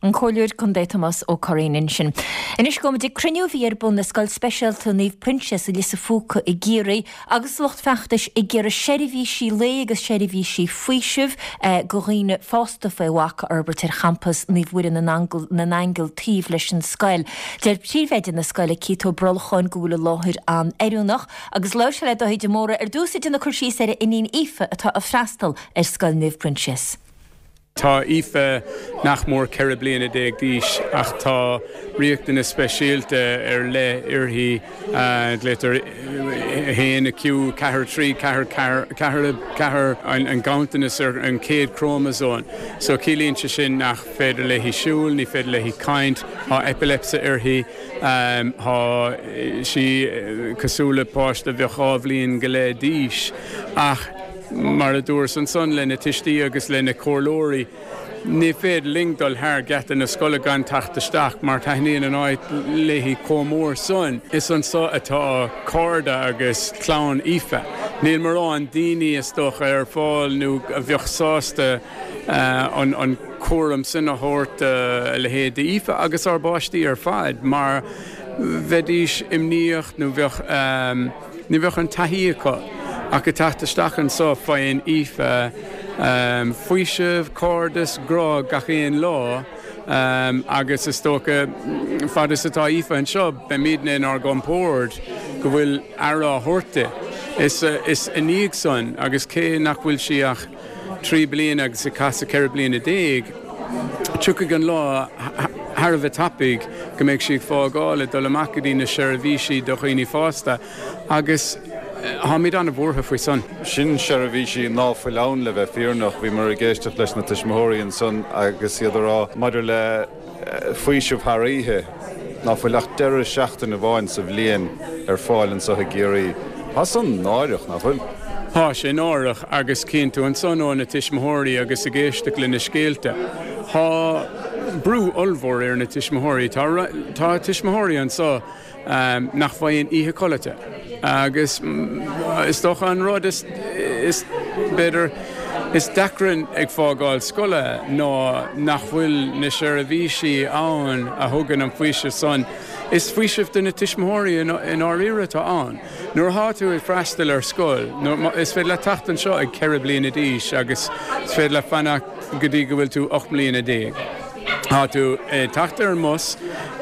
An Comhairleoir Contae Tomás Ó Curraoin ansin. Anois gabhfaimid ag cruinniú a bhí ar bun i Scoil Speisialta Naomh Proinsias i Lios an Phúca i gCiarraí agus lucht feachtais ag iarraidh seirbhísí lae agus seirbhísí faoisimh do dhaoine fásta faoi bhac a fhorbairt ar champas Naomh Mhuire na nAingeal taobh leis an scoil. Deir príomhoide na scoile Keith Ó Brolcháin go bhfuil an láthair an-oiriúnach agus labhair sé le Dáithí de Mórdha ar dtús ag déanamh cur síos ar a iníon Aoife atá ag freastal ar Scoil Naomh Proinsias. Tá Aoife nach mór ceithre bliana déag d'aois ach tá riachtanas speisialta ar leith uirthi, glaotar a haon Q ceathair trí ceathair ceathair ceathair an ganntanas ar an chéad chrómasóm. So ciallaíonn sé sin nach féidir léi siúl, ní féidir léi caint, tá epilepsy uirthi, tá sí cosúil le páiste a bheadh dhá bhliain go leith d'aois ach, Mar a dúras ansan le na tuistí agus le na comhairleoirí, ní féidir linn dul thar geata na scoile gan teacht isteach mar taitníonn an áit léi chomh mór san. Is anso atá cairde agus clann Aoife. Níl mórán daoine is dócha ar fáil nó a bheadh sásta an cúram sin a thabhairt do a leithéid d'Aoife agus ár bpáistí ar fad mar bheidís imníoch nó bheadh ní bheadh an taithí acu. Ach ag teacht isteach anso faigheann Aoife faoiseamh, cairdeas, grá gach aon lá agus is dócha fad is atá Aoife anseo beimidne inár gcompord go bhfuil aire á thabhairt di. Is i ndiaidh san agus cé nach bhfuil sí ach trí bliana agus ag casadh ceithre bliana déag, tiocfaidh an lá thar a bheith tapaidh go mbeidh sí ag fágáil ag dul amach go dtí na seirbhísí do dhaoine fásta agus táimid an-bhuartha faoi san. Sin seirbhísí ná fuil ann le bheith fírinneach. Bhíomar ag éisteacht leis na tuismitheoirí ansan agus iad a rá maidir le faoiseamh thar oíche ná fuil ach deireadh seachtaine amháin sa bhliain ar fáil anso i gCiarraí. Tá san náireach, ná fuil? Tá sé náireach agus cíonn tú ansan ó na tuismitheoirí agus ag éisteacht le na scéalta. Tá brú ollmhór ar na tuismitheoirí. Tá tá tuismitheoirí anso nach bhfaigheann oíche codlata agus is dócha an rud is is b'fhéidir is deacra ag fágáil scoile ná nach bhfuil na seirbhísí ann a thugann an faoiseamh san. Is faoiseamh do na tuismitheoirí i ndáiríre atá ann. Nuair atá tú ag freastal ar scoil, is féidir leat teacht anseo ag ceithre bliana d'aois agus is féidir leat fanacht go dtí go bhfuil tú ocht mbliana déag. Tá tú ag teacht ar an mbus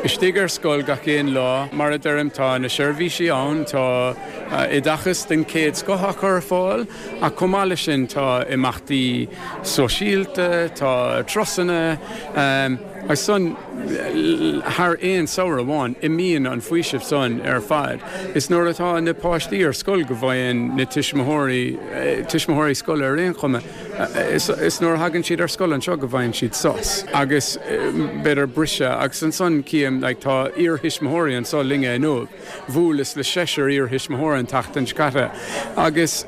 istigh ar scoil gach aon lá. Mar a deirim, tá na seirbhísí ann, tá oideachas den chéad scoth á chur ar fáil ach chomh maith leis sin tá imeachtaí sóisialta, tá turasanna agus san thar aon samhradh amháin imíonn an faoiseamh san ar fad. Is nuair atá na páistí ar scoil go bhfaigheann na tuismitheoirí, tuismitheoirí scoile ar aon chuma, Is nuair a thagann siad ar scoil anseo go bhfaigheann siad sos agus b'fhéidir briseadh agus ansan cím like tá iarthuismitheoirí anso linne inniu. Bhuaileas le seisear iarthuismitheoir an tseachtain seo caite agus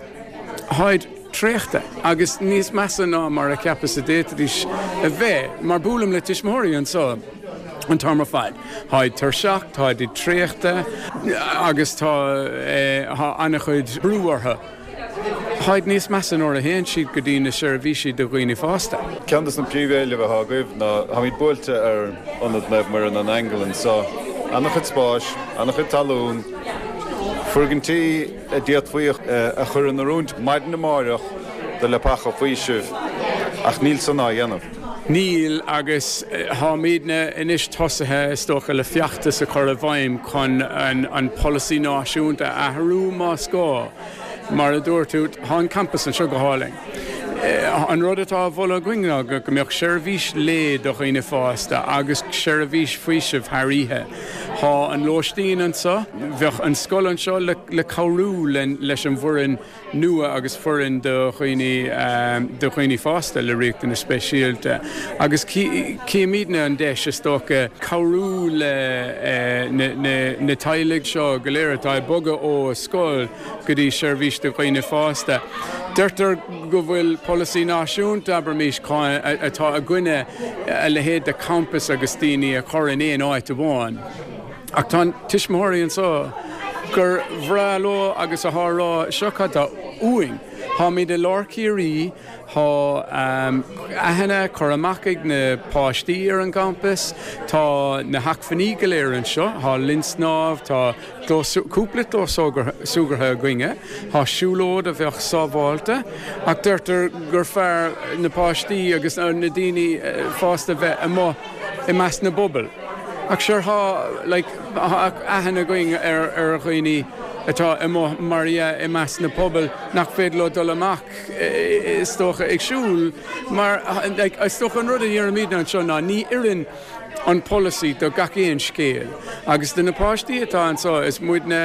tháid traochta agus níos measa ná mar a cheapas a d'fhéadfaidís a bheith mar buailim le tuismitheoirí anso an t-am ar fad. Tháid tuirseach, táid traochta agus tá tá an-chuid brú orthu. Táid níos measa nuair a théann siad go dtí na seirbhísí do dhaoine fásta. Ceann de na príomhéilimh atá agaibh ná, táimid buailte ar Ionad Naomh Muire na nAingeal anseo, an-chuid spáis, an-chuid talún, foirgintí a d'fhéadfaí a chur in oiriúint maidin amáireach do leapacha faoisimh ach níl san á dhéanamh. Níl, agus táimidne anois tosaithe, is dócha, le feachtas a chur i bhfeidhm chun an polasaí náisiúnta a athrú más gá. Mar a dúirt tú, tá an campas anseo go hálainn. An rud atá á mholadh againn ná go mbeadh seirbhís lae do dhaoine fásta agus seirbhís faoisimh thar oíche. Tá an lóistín anseo, bheadh an scoil anseo le cabhrú leis an bhfoireann nua agus foireann do dhaoine do dhaoine fásta le riachtanais speisialta agus címidne an deis is dócha cabhrú le na teaghlaigh seo go léir atá ag bogadh ó scoil go dtí seirbhís do dhaoine fásta. Deirtear go bhfuil polasaí náisiúnta, abraimis, atá i gcoinne a leithéid de champas agus daoine a chur in aon áit amháin. Ach tá tuismitheoirí anseo gur bhreá leo agus atá ag rá seo cad tá uainn. Táimid i lár Ciarraí, tá aithne curtha amach ag na páistí ar an gcampas, tá na hacmhainní go léir anseo, tá linn snámh, tá cúpla clós súgartha againne, tá siúlóid a bheadh sábháilte, ach deirtear gur fearr na páistí agus na daoine fásta bheith amuigh i measc na bpobal. Ach sure tá like aithne againn ar ar dhaoine atá amuigh mar dhea i measc na pobal nach féidir leo dul amach is dócha ag siúl mar like is dócha an rud a deirimidne anseo ná ní oireann an polasaí do gach aon scéal agus do na páistí atá anseo is muidne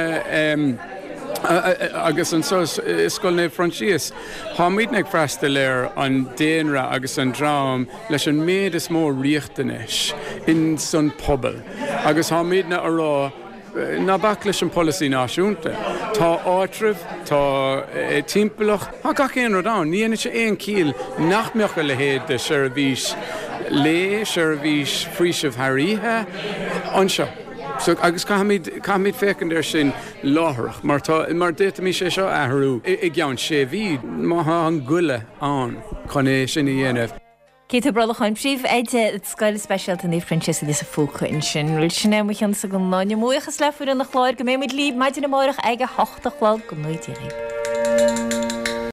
agus anseo i Scoil Naomh Proinsias táimidne ag freastal ar an daonra agus an dream leis an méid is mó riachtanais in san pobal agus táimidne a rá ná bac leis an polasaí náisiúnta. Tá áitreabh, tá timpeallacht, tá gach aon rud ann. Ní dhéanann sé aon chiall nach mbeadh a leithéid de sheirbhís lae, seirbhís faoisimh thar oíche anseo. So, agus caithfimid, caithfimid féachaint air sin láithreach, mar tá, mar d'fhéadfaimis é seo a athrú i gceann sé mhí, má tá an goile ann chun é sin a dhéanamh. Keith Ó Brolcháin, Príomhoide Scoil Speisialta Naomh Proinsias i Lios an Phúca ansin. Bhuel, sin é mo chionsa don lá inniu. Buíochas le foireann an chláir. Go mbeidh muid libh maidin amárach ag a hocht a chlog. Go ngnóthaí Dia dhaoibh.